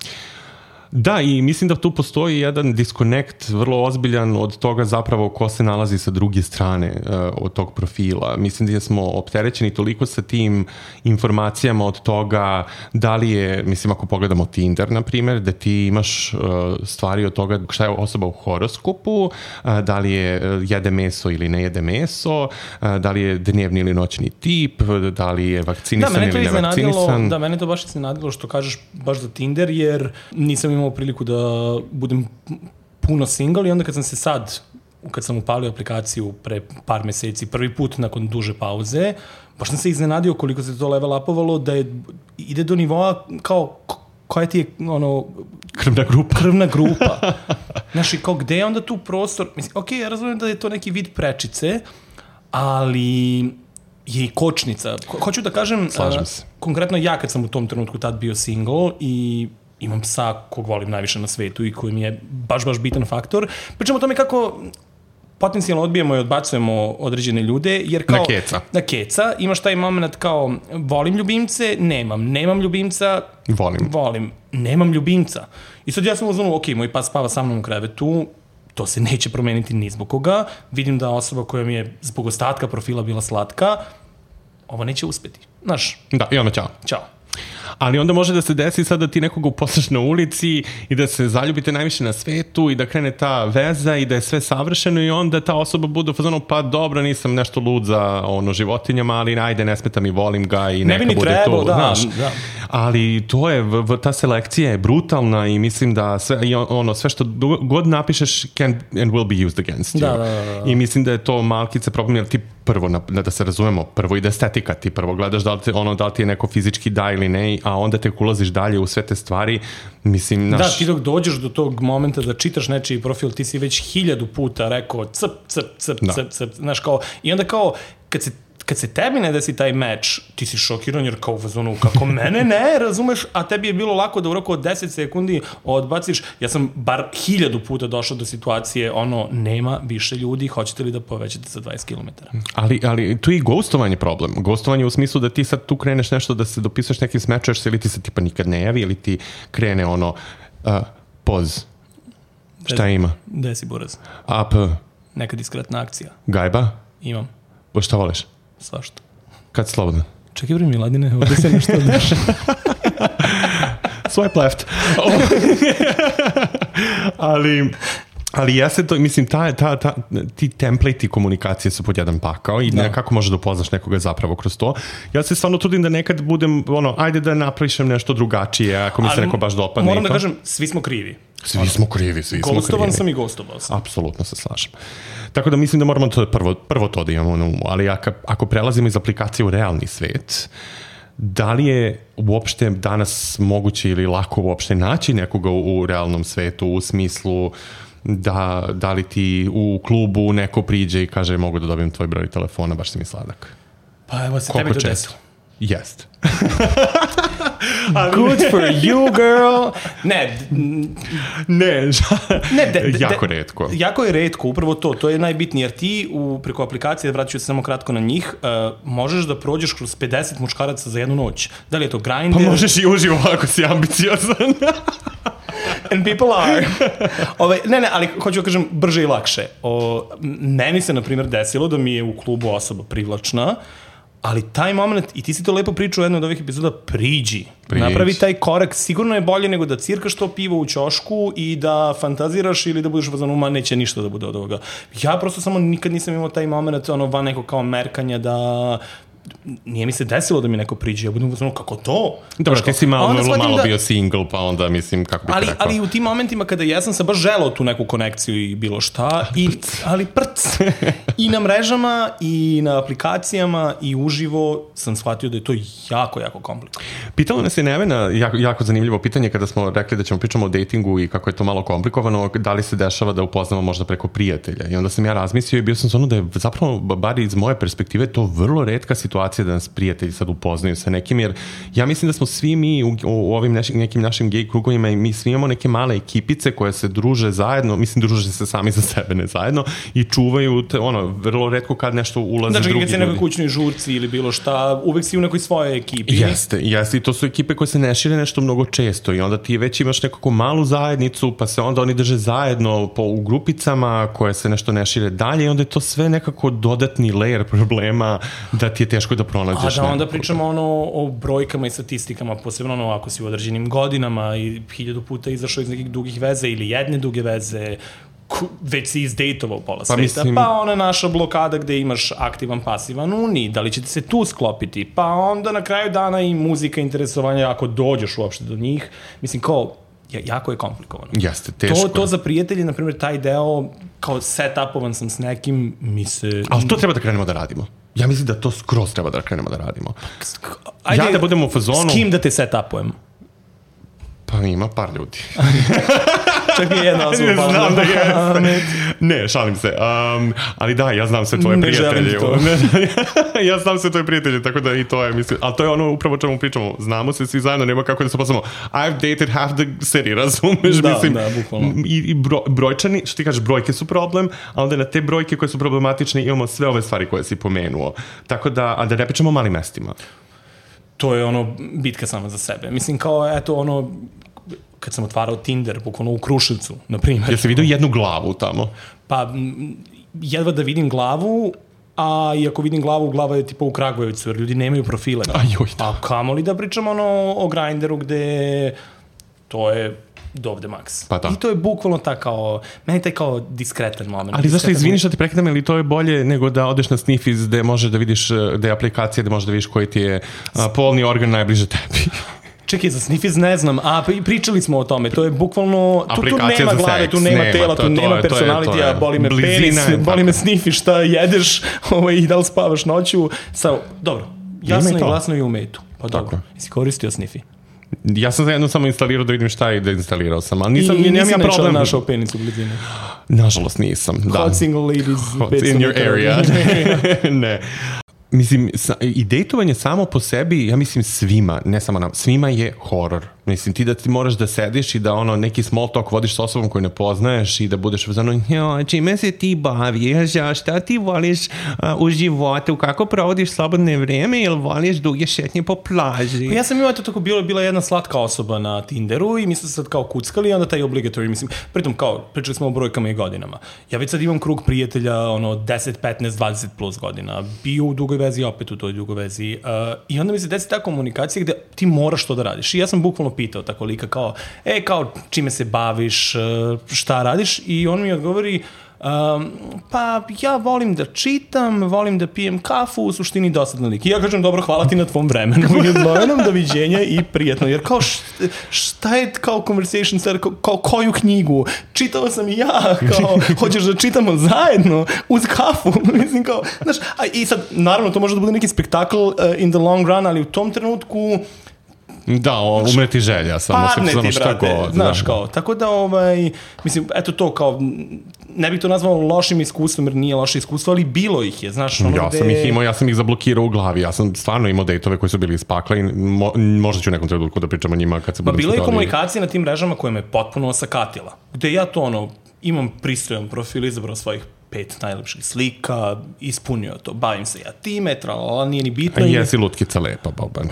Da, i mislim da tu postoji jedan disconnect vrlo ozbiljan od toga zapravo ko se nalazi sa druge strane uh, od tog profila. Mislim da smo opterećeni toliko sa tim informacijama od toga da li je, mislim ako pogledamo Tinder, na primjer, da ti imaš uh, stvari od toga šta je osoba u horoskopu, uh, da li je uh, jede meso ili ne jede meso, uh, da li je dnevni ili noćni tip, da li je vakcinisan da, ili nevakcinisan. Da, mene to baš iznenadilo što kažeš baš za Tinder, jer nisam imao priliku da budem puno single i onda kad sam se sad, kad sam upalio aplikaciju pre par meseci, prvi put nakon duže pauze, baš sam se iznenadio koliko se to level upovalo da je, ide do nivoa kao koja ti je ono... Krvna grupa. Krvna grupa. Znaš, i kao gde je onda tu prostor? Mislim, ok, ja razumijem da je to neki vid prečice, ali je i kočnica. Ho- hoću da kažem... Slažem se. Konkretno ja kad sam u tom trenutku tad bio single i imam psa kog volim najviše na svetu i koji mi je baš, baš bitan faktor. Pričamo o tome kako potencijalno odbijemo i odbacujemo određene ljude, jer kao... Na keca. Na keca. Imaš taj moment kao volim ljubimce, nemam. Nemam ljubimca, volim. Volim. Nemam ljubimca. I sad ja sam uzmano, ok, moj pas spava sa mnom u krevetu, to se neće promeniti ni zbog koga. Vidim da osoba koja mi je zbog ostatka profila bila slatka, ovo neće uspeti. Znaš? Da, i onda ćao. Ćao. Ali onda može da se desi sad da ti nekoga uposlaš na ulici i da se zaljubite najviše na svetu i da krene ta veza i da je sve savršeno i onda ta osoba bude u fazonu pa dobro, nisam nešto lud za ono, životinjama, ali ajde, ne smeta mi, volim ga i neka ne bude trebao, to. Da, znaš, da. Ali to je, ta selekcija je brutalna i mislim da sve, ono, sve što god napišeš can and will be used against you. Da, da, da, da. I mislim da je to malkice problem, jer ti prvo, da se razumemo, prvo ide estetika, ti prvo gledaš da li, te, ono, da li ti je neko fizički da ili ne, a onda tek ulaziš dalje u sve te stvari, mislim, naš... Da, ti dok dođeš do tog momenta da čitaš nečiji profil, ti si već hiljadu puta rekao cp, cp, cp, da. cp, cp, znaš kao, i onda kao, kad se kad se tebi ne desi taj meč, ti si šokiran jer kao u fazonu, kako mene ne, razumeš, a tebi je bilo lako da u roku od deset sekundi odbaciš. Ja sam bar hiljadu puta došao do situacije, ono, nema više ljudi, hoćete li da povećate za dvadeset kilometara? Ali, ali tu je i ghostovanje problem. Ghostovanje u smislu da ti sad tu kreneš nešto da se dopisuješ nekim smečuješ se ili ti se tipa nikad ne javi ili ti krene ono, uh, poz. Šta Des, ima? Desi buraz. A P. Neka diskretna akcija. Gajba? Imam. O šta voliš? Svašta. Kad slobodno? Čekaj bre Miladine, ovdje se nešto daš. Swipe left. ali... Ali jeste to, mislim, ta, ta, ta, ti template i komunikacije su pod jedan pakao i da. Nekako možeš da upoznaš nekoga zapravo kroz to. Ja se stvarno trudim da nekad budem, ono, ajde da naprišem nešto drugačije, ako mi se ali, neko baš dopadne. Moram da kažem, svi smo krivi. Svi smo krivi, svi smo krivi. Gostovan sam i gostovao sam. Apsolutno se slažem. Tako da mislim da moramo to prvo, prvo to da imamo na umu, ali ako, ako prelazimo iz aplikacije u realni svet, da li je uopšte danas moguće ili lako uopšte naći nekoga u, u realnom svetu u smislu da, da li ti u klubu neko priđe i kaže mogu da dobijem tvoj broj telefona, baš si mi sladak. Pa evo se tebi to desilo. Jest. Good for you, girl. Ne. Ne, ne de, de, jako retko. Jako je retko, upravo to. To je najbitnije, jer ti u, preko aplikacije, vratit ću se samo kratko na njih, uh, možeš da prođeš kroz pedeset muškaraca za jednu noć. Da li je to Grindr? Pa možeš i uživo ako si ambiciozan. And people are. Ove, ne, ne, ali hoću da kažem brže i lakše. O, meni se, na primjer, desilo da mi je u klubu osoba privlačna, ali taj moment, i ti si to lepo pričao u jednoj od ovih epizoda, priđi. Priđi. Napravi taj korak, sigurno je bolje nego da cirkaš to pivo u ćošku i da fantaziraš ili da budeš u fazonu, ma neće ništa da bude od ovoga. Ja prosto samo nikad nisam imao taj moment, ono, van neko kao merkanja da nije mi se desilo da mi neko priđe, ja budem uzmano, kako to? Dobro, ti si malo, malo, malo da... bio single, pa onda mislim, kako bih ali, rekao. Ali u tim momentima kada ja sam se baš želao tu neku konekciju i bilo šta, i, ali prc. I na mrežama, i na aplikacijama, i uživo sam shvatio da je to jako, jako komplikovano. Pitalo nas je Nevena, jako, jako zanimljivo pitanje, kada smo rekli da ćemo pričamo o datingu i kako je to malo komplikovano, da li se dešava da upoznamo možda preko prijatelja. I onda sam ja razmislio i bio sam ono da je zapravo, bar iz moje perspektive, to vrlo retka situacija da nas prijatelji sad upoznaju sa nekim, jer ja mislim da smo svi mi u, u ovim neš, nekim našim gej krugovima i mi svi imamo neke male ekipice koje se druže zajedno, mislim druže se sami za sebe, ne zajedno, i čuvaju te, ono, vrlo retko kad nešto ulaze znači, drugi ljudi. Znači, kad si nekoj kućnoj žurci ili bilo šta, uvek si u nekoj svojoj ekipi. Jeste, jeste, i to su ekipe koje se ne šire nešto mnogo često i onda ti već imaš nekako malu zajednicu, pa se onda oni drže zajedno po, u grupicama koje se nešto ne šire dalje i onda je to sve nekako dodatni layer problema da ti je teško da pronađeš. A da onda pričamo ono o brojkama i statistikama, posebno ono ako si u određenim godinama i hiljadu puta izašao iz nekih dugih veze ili jedne duge veze, već si izdejtovao pola sveta, pa, mislim... pa ona naša blokada gde imaš aktivan, pasivan uni, da li će ti se tu sklopiti, pa onda na kraju dana i muzika, interesovanja, ako dođeš uopšte do njih, mislim kao, jako je komplikovano. Jeste, teško. To, to za prijatelji, na primjer, taj deo, kao set-upovan sam s nekim, mi se... Ali to treba da krenemo da radimo. Ja mislim da to skroz treba da krenemo da radimo. Ajde, ja da budemo u fazonu... S kim da te set-upujem? Pa ima par ljudi. Čak je jedna osoba. Ne znam da jeste. Ne, šalim se. Um, ali da, ja znam sve tvoje ne prijatelje. Ja znam sve tvoje prijatelje, tako da i to je, mislim. Ali to je ono upravo čemu pričamo. Znamo se svi zajedno, nema kako da se poslamo. I've dated half the city, razumeš? Da, mislim, da, bukvalno. I, i bro, brojčani, što ti kažeš, brojke su problem, a onda na te brojke koje su problematične imamo sve ove stvari koje si pomenuo. Tako da, a da ne pričamo o malim mestima. To je ono bitka sama za sebe. Mislim kao, eto, ono, kad sam otvarao Tinder, bukvalno u Kruševcu, na primjer. Jesi vidio jednu glavu tamo? Pa, jedva da vidim glavu, a i ako vidim glavu, glava je tipa u Kragujevcu, jer ljudi nemaju profile. Ajoj, da. A kamoli da pričamo ono o Grindru, gde to je dovde maks. Pa da. I to je bukvalno ta kao, meni taj kao diskretan moment. Ali zašto izviniš da ti prekidam, ili to je bolje nego da odeš na Sniffies gde možeš da vidiš, gde je aplikacija gde možeš da vidiš koji ti je a, polni organ najbliže tebi? Čekaj, za Sniffies ne znam, a pričali smo o tome, to je bukvalno, tu, tu nema glave, tu nema, nema tela, tu to, nema to personalitija, boli me penis, boli me Sniffi, šta jedeš ovaj, i da li spavaš noću, sa, dobro, jasno i glasno i u metu, pa dobro, jesi koristio Sniffi? Ja sam zajedno samo instalirao da vidim šta je da instalirao sam, ali nisam, I, i nisam ja problem. Našao penis u blizini. Nažalost nisam, da. Hot single ladies. Hot in your area. Ne. Mislim, i dejtovanje samo po sebi, ja mislim svima, ne samo nam, svima je horor. Mislim, ti da ti moraš da sediš i da ono neki small talk vodiš sa osobom koju ne poznaješ i da budeš uzano, jo, čime se ti baviš, a šta ti voliš a, u životu, kako provodiš slobodne vreme ili voliš duge šetnje po plaži? Pa ja sam imao to tako, bilo, bila jedna slatka osoba na Tinderu i mi smo se sad kao kuckali i onda taj obligatory, mislim, pritom kao, pričali smo o brojkama i godinama. Ja već sad imam krug prijatelja, ono, deset, petnaest, dvadeset plus godina, bio u dugoj vezi, opet u toj dugoj vezi uh, i onda mi se desi ta komunikacija gde ti moraš to da radiš. I ja sam bukvalno pitao tako lika kao, e, kao, čime se baviš, šta radiš, i on mi odgovori, Um, pa ja volim da čitam, volim da pijem kafu, u suštini dosadno lik. I ja kažem, dobro, hvala ti na tvom vremenu i odvojenom, doviđenja i prijatno. Jer kao šta je kao conversation starter, kao, kao koju knjigu? Čitao sam i ja, kao hoćeš da čitamo zajedno uz kafu. Mislim kao, znaš, a i sad, naravno, to može da bude neki spektakl uh, in the long run, ali u tom trenutku da, umreti želja, samo padne samo ti, šta brate, god. znaš da. kao, tako da, ovaj, mislim, eto to, kao, ne bih to nazvao lošim iskustvom, jer nije loše iskustvo, ali bilo ih je, znaš, ono ja gde... sam ih imao, ja sam ih zablokirao u glavi, ja sam stvarno imao dejtove koji su bili iz pakla i mo, možda ću u nekom trenutku da pričam o njima kad se budem bilo je stvari... komunikacija na tim mrežama koja me potpuno osakatila, gde ja to, ono, imam pristojan profil, izabrao svojih pet najlepših slika, ispunio to, bavim se ja time, tralala, nije ni bitno. A jesi lutkica lepa, Bobane.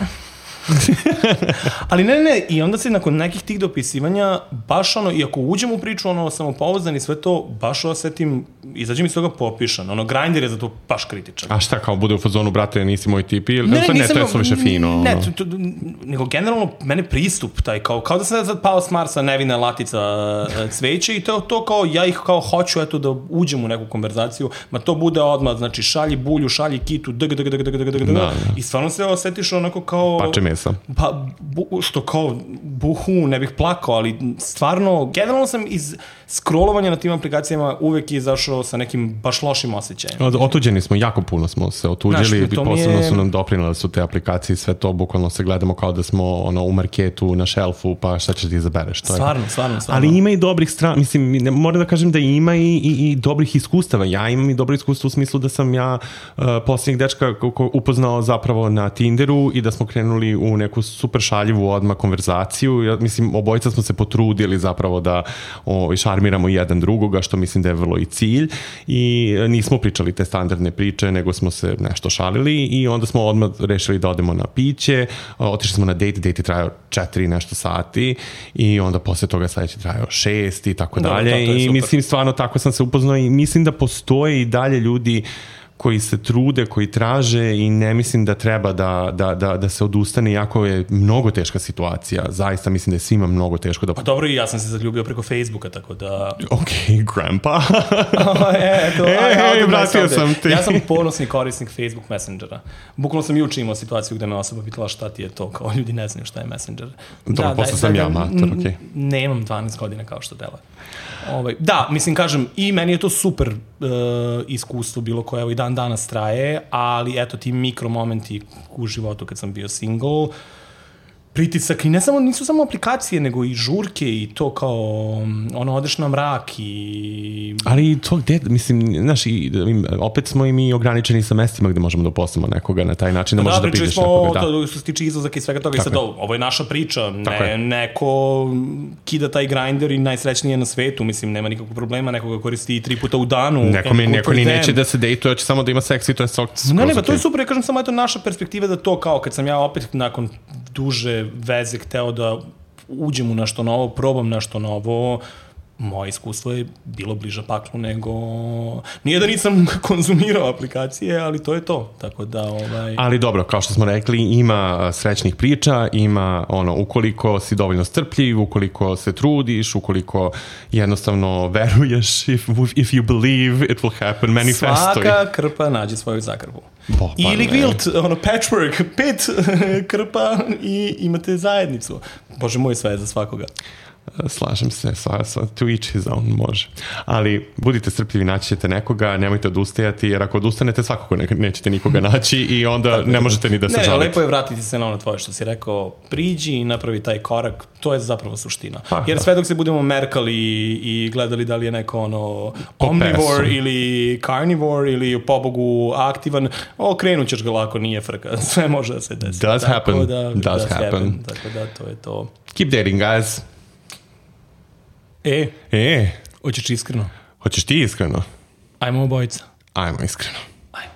Ali ne, ne, i onda se nakon nekih tih dopisivanja, baš ono, i ako uđem u priču, ono, samopouzdan i sve to, baš osetim, izađem iz toga popišan, ono, Grindr je za to baš kritičan. A šta, kao bude u fazonu, brate, nisi moj tip, ili ne, ne, ne, nisam, to je sve više fino. Ne, ono. to, to, nego generalno, mene pristup taj, kao, kao da sam sad pao s Marsa, nevina latica cveće i to, to kao, ja ih kao hoću, eto, da uđem u neku konverzaciju, ma to bude odmah, znači, šalji bulju, šalji kitu, dg, dg, dg, dg, dg, dg, i stvarno se osetiš onako kao... Pače mesa. Pa, bu, što kao, buhu, ne bih plakao, ali stvarno, generalno sam iz scrollovanja na tim aplikacijama uvek izašao sa nekim baš lošim osjećajem. Od, otuđeni smo, jako puno smo se otuđili i posebno je... su nam doprinale su te aplikacije i sve to, bukvalno se gledamo kao da smo ono, u marketu, na šelfu, pa šta ćeš ti izabereš. To stvarno, je. stvarno, stvarno. Ali ima i dobrih strana, mislim, ne, moram da kažem da ima i, i, i dobrih iskustava. Ja imam i dobro iskustvo u smislu da sam ja uh, posljednjeg dečka upoznao zapravo na Tinderu i da smo krenuli u neku super šaljivu odmah konverzaciju. Ja, mislim, obojica smo se potrudili zapravo da o, šarmiramo jedan drugoga, što mislim da je vrlo i cilj. I nismo pričali te standardne priče, nego smo se nešto šalili i onda smo odmah rešili da odemo na piće. Otišli smo na date, date je trajao četiri nešto sati i onda posle toga sledeći trajao šest i tako dalje. I super. Mislim, stvarno tako sam se upoznao i mislim da postoje i dalje ljudi koji se trude, koji traže i ne mislim da treba da, da, da, da se odustane, iako je mnogo teška situacija. Zaista mislim da je svima mnogo teško da... Pa dobro, i ja sam se zaljubio preko Facebooka, tako da... Ok, grandpa. e, eto, e, aj, e, vratio sam ti. Ja sam ponosni korisnik Facebook Messengera. Bukvalno sam juče imao situaciju gde me osoba pitala šta ti je to, kao ljudi ne znaju šta je Messenger. Dobro, da, posle da, sam da, ja mater, ok. Nemam dvanaest godina kao što dela. Ovaj, da, mislim, kažem, i meni je to super uh, iskustvo bilo koje evo i dan danas traje, ali eto ti mikromomenti u životu kad sam bio single, pritisak i ne samo, nisu samo aplikacije, nego i žurke i to kao ono, odeš na mrak i... Ali to gde, mislim, znaš, i, opet smo i mi ograničeni sa mestima gde možemo da uposlamo nekoga na taj način, da, da možeš da piđeš nekoga. Da, to što se tiče izlazaka i svega toga. Tako I sad, je. Ovo je naša priča, ne, neko kida taj Grindr i najsrećnije na svetu, mislim, nema nikakvog problema, nekoga koristi i tri puta u danu. Neko, mi, neko ni neće da se dejtuje, hoće samo da ima seks i to je skroz. Ne, ne, pa to je super, ja kažem samo eto naša perspektiva da to kao kad sam ja opet nakon duže veze hteo da uđem u nešto novo, probam nešto novo, moje iskustvo je bilo bliže paklu nego... Nije da nisam konzumirao aplikacije, ali to je to. Tako da, ovaj... Ali dobro, kao što smo rekli, ima srećnih priča, ima ono, ukoliko si dovoljno strpljiv, ukoliko se trudiš, ukoliko jednostavno veruješ, if, if you believe, it will happen, manifestuj. Svaka krpa nađe svoju zakrpu. Bo, pa ili gvilt, ono, patchwork, pet krpa i imate zajednicu. Bože moj, sve je za svakoga. Slažem se, sva, sva, to each his own, može. Ali budite strpljivi, naći ćete nekoga, nemojte odustajati, jer ako odustanete svakako ne, nećete nikoga naći i onda ne možete ni da se ne, žalite. Ne, lepo je vratiti se na ono tvoje što si rekao, priđi i napravi taj korak, to je zapravo suština. Pa, jer sve dok se budemo merkali i gledali da li je neko ono omnivore ili carnivore ili pobogu aktivan, okrenut ćeš ga lako, nije frka, sve može da se desi. Does tako happen, da, does, does happen. happen. Tako da, to je to. Keep dating, guys. E, e, hoćeš iskreno? Hoćeš ti iskreno? Ajmo obojica. Ajmo iskreno. Ajmo.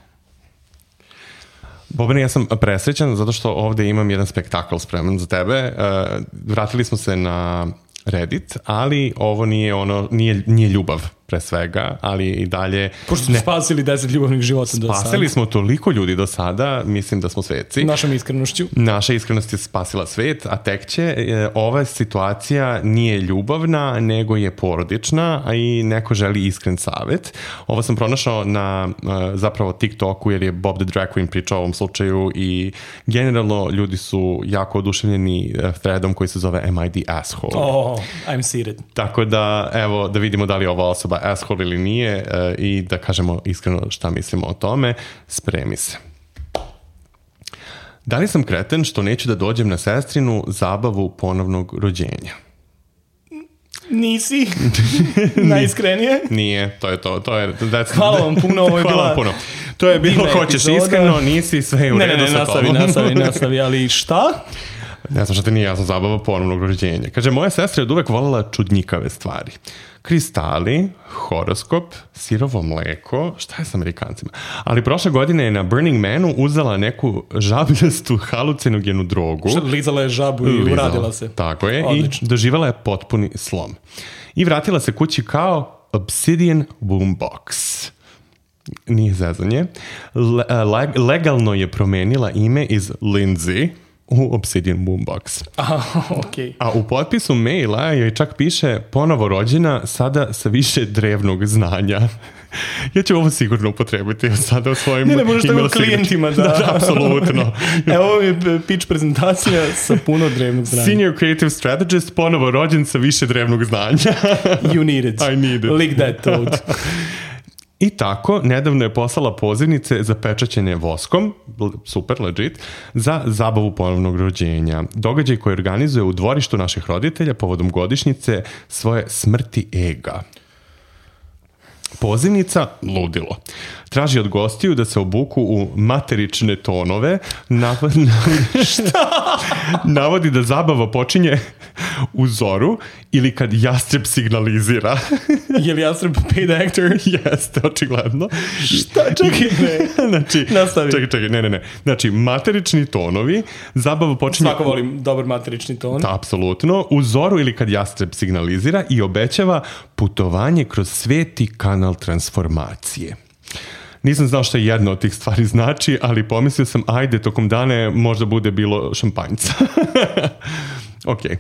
Bobane, ja sam presrećan zato što ovde imam jedan spektakl spreman za tebe. Uh, vratili smo se na Reddit, ali ovo nije ono, nije, nije ljubav pre svega, ali i dalje... Pošto smo spasili deset ljubavnih života do sada. Spasili smo toliko ljudi do sada, mislim da smo sveci. Našom iskrenošću. Naša iskrenost je spasila svet, a tek će. E, ova situacija nije ljubavna, nego je porodična, a i neko želi iskren savet. Ovo sam pronašao na zapravo TikToku, jer je Bob the Drag Queen pričao o ovom slučaju i generalno ljudi su jako oduševljeni threadom koji se zove Am I the asshole? Oh, I'm seated. Tako da, evo, da vidimo da li je ova osoba asshole ili nije uh, i da kažemo iskreno šta mislimo o tome. Spremi se. Da li sam kreten što neću da dođem na sestrinu zabavu ponovnog rođenja? Nisi. Najiskrenije. Nije, to je to. to je, Hvala vam puno, ovo je bila... Hvala puno. To je bilo, hoćeš epizoda. Iskreno, nisi, sve je u ne, redu ne, ne, sa nastavi, tobom. nastavi, nastavi, ali šta? Ne znam šta te nije jasno, zabava ponovnog rođenja. Kaže, moja sestra je od uvek voljela čudnjikave stvari. Kristali, horoskop, sirovo mleko, šta je s Amerikancima? Ali prošle godine je na Burning Manu uzela neku žabljastu halucinogenu drogu. Što, lizala je žabu i lizala. Uradila se. Tako je. Odlično. I doživala je potpuni slom. I vratila se kući kao Obsidian Boombox. Nije zezanje. Le, legalno je promenila ime iz Lindsay u Obsidian Boombox. Aha, okej. A u potpisu maila joj čak piše ponovo rođena, sada sa više drevnog znanja. Ja ću ovo sigurno upotrebiti sada u svojim ne, ne, možeš tako klijentima, da. Da, apsolutno. Evo ovo je pitch prezentacija sa puno drevnog znanja. Senior Creative Strategist, ponovo rođen sa više drevnog znanja. You need it. I need it. Lick that toad. I tako, nedavno je poslala pozivnice za pečaćenje voskom, super, legit, za zabavu ponovnog rođenja. Događaj koji organizuje u dvorištu naših roditelja povodom godišnjice svoje smrti ega. Pozivnica ludilo. Traži od gostiju da se obuku u materične tonove. Navodi, navodi da zabava počinje u zoru ili kad jastreb signalizira. Je li jastreb paid actor? Jeste, očigledno. Šta? Čekaj, ne. Znači, nastavi. Čekaj, čekaj, ne, ne, ne. Znači, materični tonovi, zabava počinje... Svako volim dobar materični ton. Da, apsolutno. U zoru ili kad jastreb signalizira i obećava putovanje kroz sveti kanal transformacije. Nisam znao šta jedna od tih stvari znači, ali pomislio sam, ajde, tokom dane možda bude bilo šampanjca. Okej. Okay.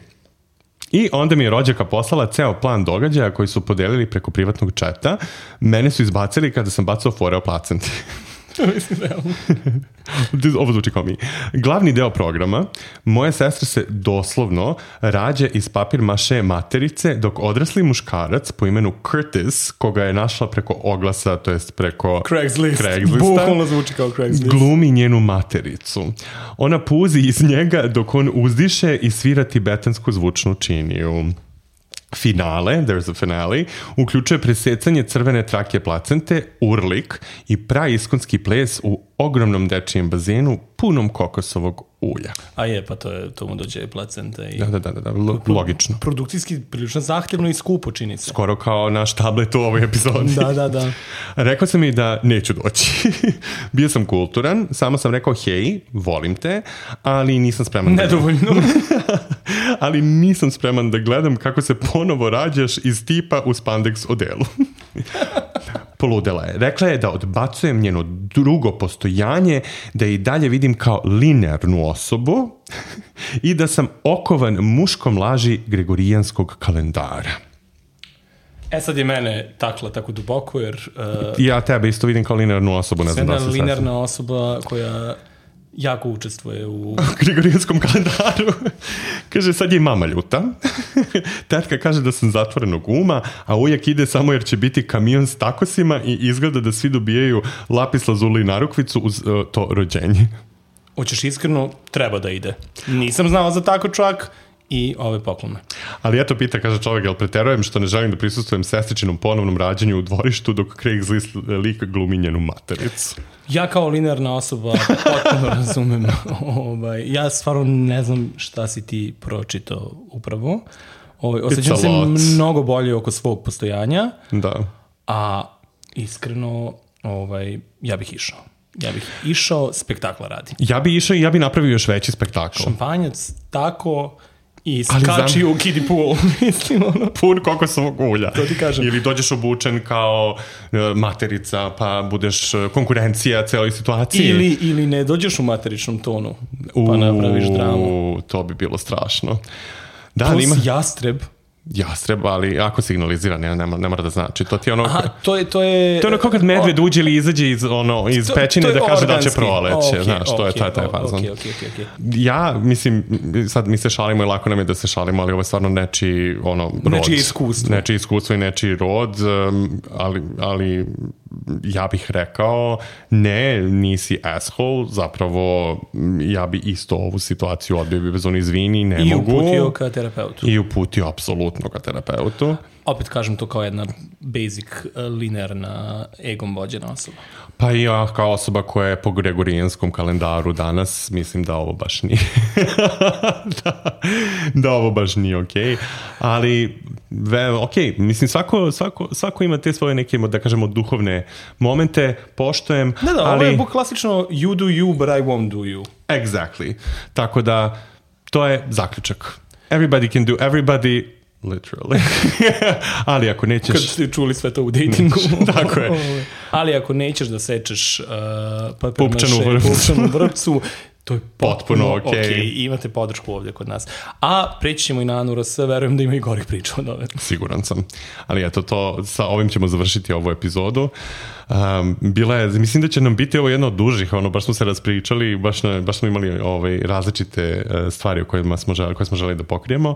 I onda mi je rođaka poslala ceo plan događaja koji su podelili preko privatnog četa. Mene su izbacili kada sam bacao fore o placenti. Ovo zvuči kao mi. Glavni deo programa, moja sestra se doslovno rađa iz papir maše materice, dok odrasli muškarac po imenu Curtis, koga je našla preko oglasa, to jest preko Craigslist. Craigslista, bukvalno zvuči kao Craigslist, glumi njenu matericu. Ona puzi iz njega dok on uzdiše i svira tibetansku zvučnu činiju. Finale, there's a finale, uključuje presecanje crvene trake placente, urlik i praiskonski ples u ogromnom dečijem bazenu punom kokosovog ulja. A je, pa to, je, to mu dođe placenta. I... Da, da, da, da, L- logično. Produkcijski prilično zahtevno i skupo čini se. Skoro kao naš tablet u ovoj epizodi. Da, da, da. Rekao sam i da neću doći. Bio sam kulturan, samo sam rekao hej, volim te, ali nisam spreman da... Nedovoljno. ali nisam spreman da gledam kako se ponovo rađaš iz tipa u spandex odelu. Poludela je. Rekla je da odbacujem njeno drugo postojanje, da je i dalje vidim kao linearnu osobu i da sam okovan muškom laži gregorijanskog kalendara. E sad je mene takla tako duboko, jer... Uh, ja tebe isto vidim kao linearnu osobu. Ne znam da se jedna linearna osoba koja jako učestvuje u... gregorijanskom kalendaru. Kaže, sad je mama ljuta. Tetka kaže da sam zatvorenog uma, a ujak ide samo jer će biti kamion s takosima i izgleda da svi dobijaju lapis lazuli i narukvicu uz uh, to rođenje. Hoćeš iskreno, treba da ide. Nisam znao za tako čak i ove poklone. Ali eto pita, kaže čovjek, jel preterujem što ne želim da prisustvujem sestričinom ponovnom rađanju u dvorištu dok Craigslist lik glumi njenu matericu. Ja kao linearna osoba potpuno razumem. Ovaj, ja stvarno ne znam šta si ti pročitao upravo. Ovaj, osjećam se mnogo bolje oko svog postojanja. Da. A iskreno, ovaj, ja bih išao. Ja bih išao spektakla radi. Ja bih išao i ja bih napravio još veći spektakl. Šampanjac tako I skači znam... u kiddie pool, mislim, ono. Pun kokosovog ulja. To ti kažem. Ili dođeš obučen kao materica, pa budeš konkurencija celoj situaciji. Ili, ili ne dođeš u materičnom tonu, pa napraviš dramu. To bi bilo strašno. Da, Plus ima... jastreb. Jastreb, ali ako signalizira, ne, ne, ne mora da znači. To ti je ono... Aha, to je... To je, to je ono kao kad medved uđe ili izađe iz, ono, iz to, pećine to da kaže organski. Da će proleće. Okay, znaš, okay, to je taj, taj fazon. Okay, okay, okay, okay. Ja, mislim, sad mi se šalimo i lako nam je da se šalimo, ali ovo je stvarno nečiji ono, rod. Nečije iskustvo. Nečije iskustvo i nečiji rod, ali, ali ja bih rekao, ne, nisi asshole, zapravo ja bi isto ovu situaciju odbio bi bez on izvini, ne I mogu. I uputio ka terapeutu. I uputio apsolutno ka terapeutu. Opet kažem to kao jedna basic, linearna, egom vođena osoba. Pa i ja kao osoba koja je po gregorijanskom kalendaru danas, mislim da ovo baš nije da, da ovo baš nije okej. Okay. Ali ve, ok, mislim svako, svako, svako ima te svoje neke, da kažemo, duhovne momente, poštojem. Da, da, ali... ovo je klasično you do you, but I won't do you. Exactly. Tako da, to je zaključak. Everybody can do, everybody... Literally. Ali ako nećeš... Kad ste čuli sve to u datingu. Tako je. Ali ako nećeš da sečeš uh, pupčanu vrpcu, to je potpuno, potpuno okej. Okay. Okay. Imate podršku ovdje kod nas. A preći ćemo i na Anu R S, verujem da ima i gorih priča od ove. Siguran sam. Ali eto, to, sa ovim ćemo završiti ovu epizodu. Um, bila je, mislim da će nam biti ovo jedno od dužih, ono, baš smo se raspričali, baš, ne, baš smo imali ovaj, različite uh, stvari o kojima smo želi, koje smo želi da pokrijemo,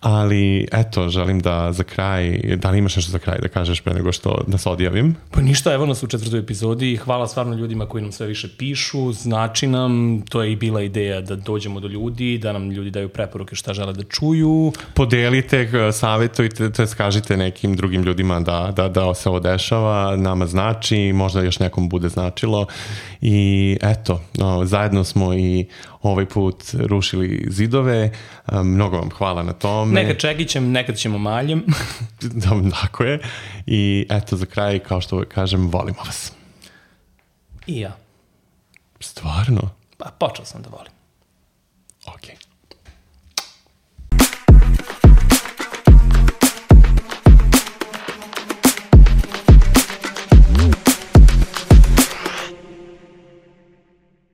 ali eto, želim da za kraj, da li imaš nešto za kraj da kažeš pre nego što da se odjavim? Pa ništa, evo nas u četvrtoj epizodi, hvala stvarno ljudima koji nam sve više pišu, znači nam, to je i bila ideja da dođemo do ljudi, da nam ljudi daju preporuke šta žele da čuju. Podelite, savjetujte, to je skažite nekim drugim ljudima da, da, da se ovo dešava, nama znači, možda još nekom bude značilo i eto, no, zajedno smo i ovaj put rušili zidove, mnogo vam hvala na tome. Nekad čekićem, nekad ćemo maljem. Tako je i eto za kraj, kao što kažem, volimo vas. I ja. Stvarno? Pa počeo sam da volim. Okej.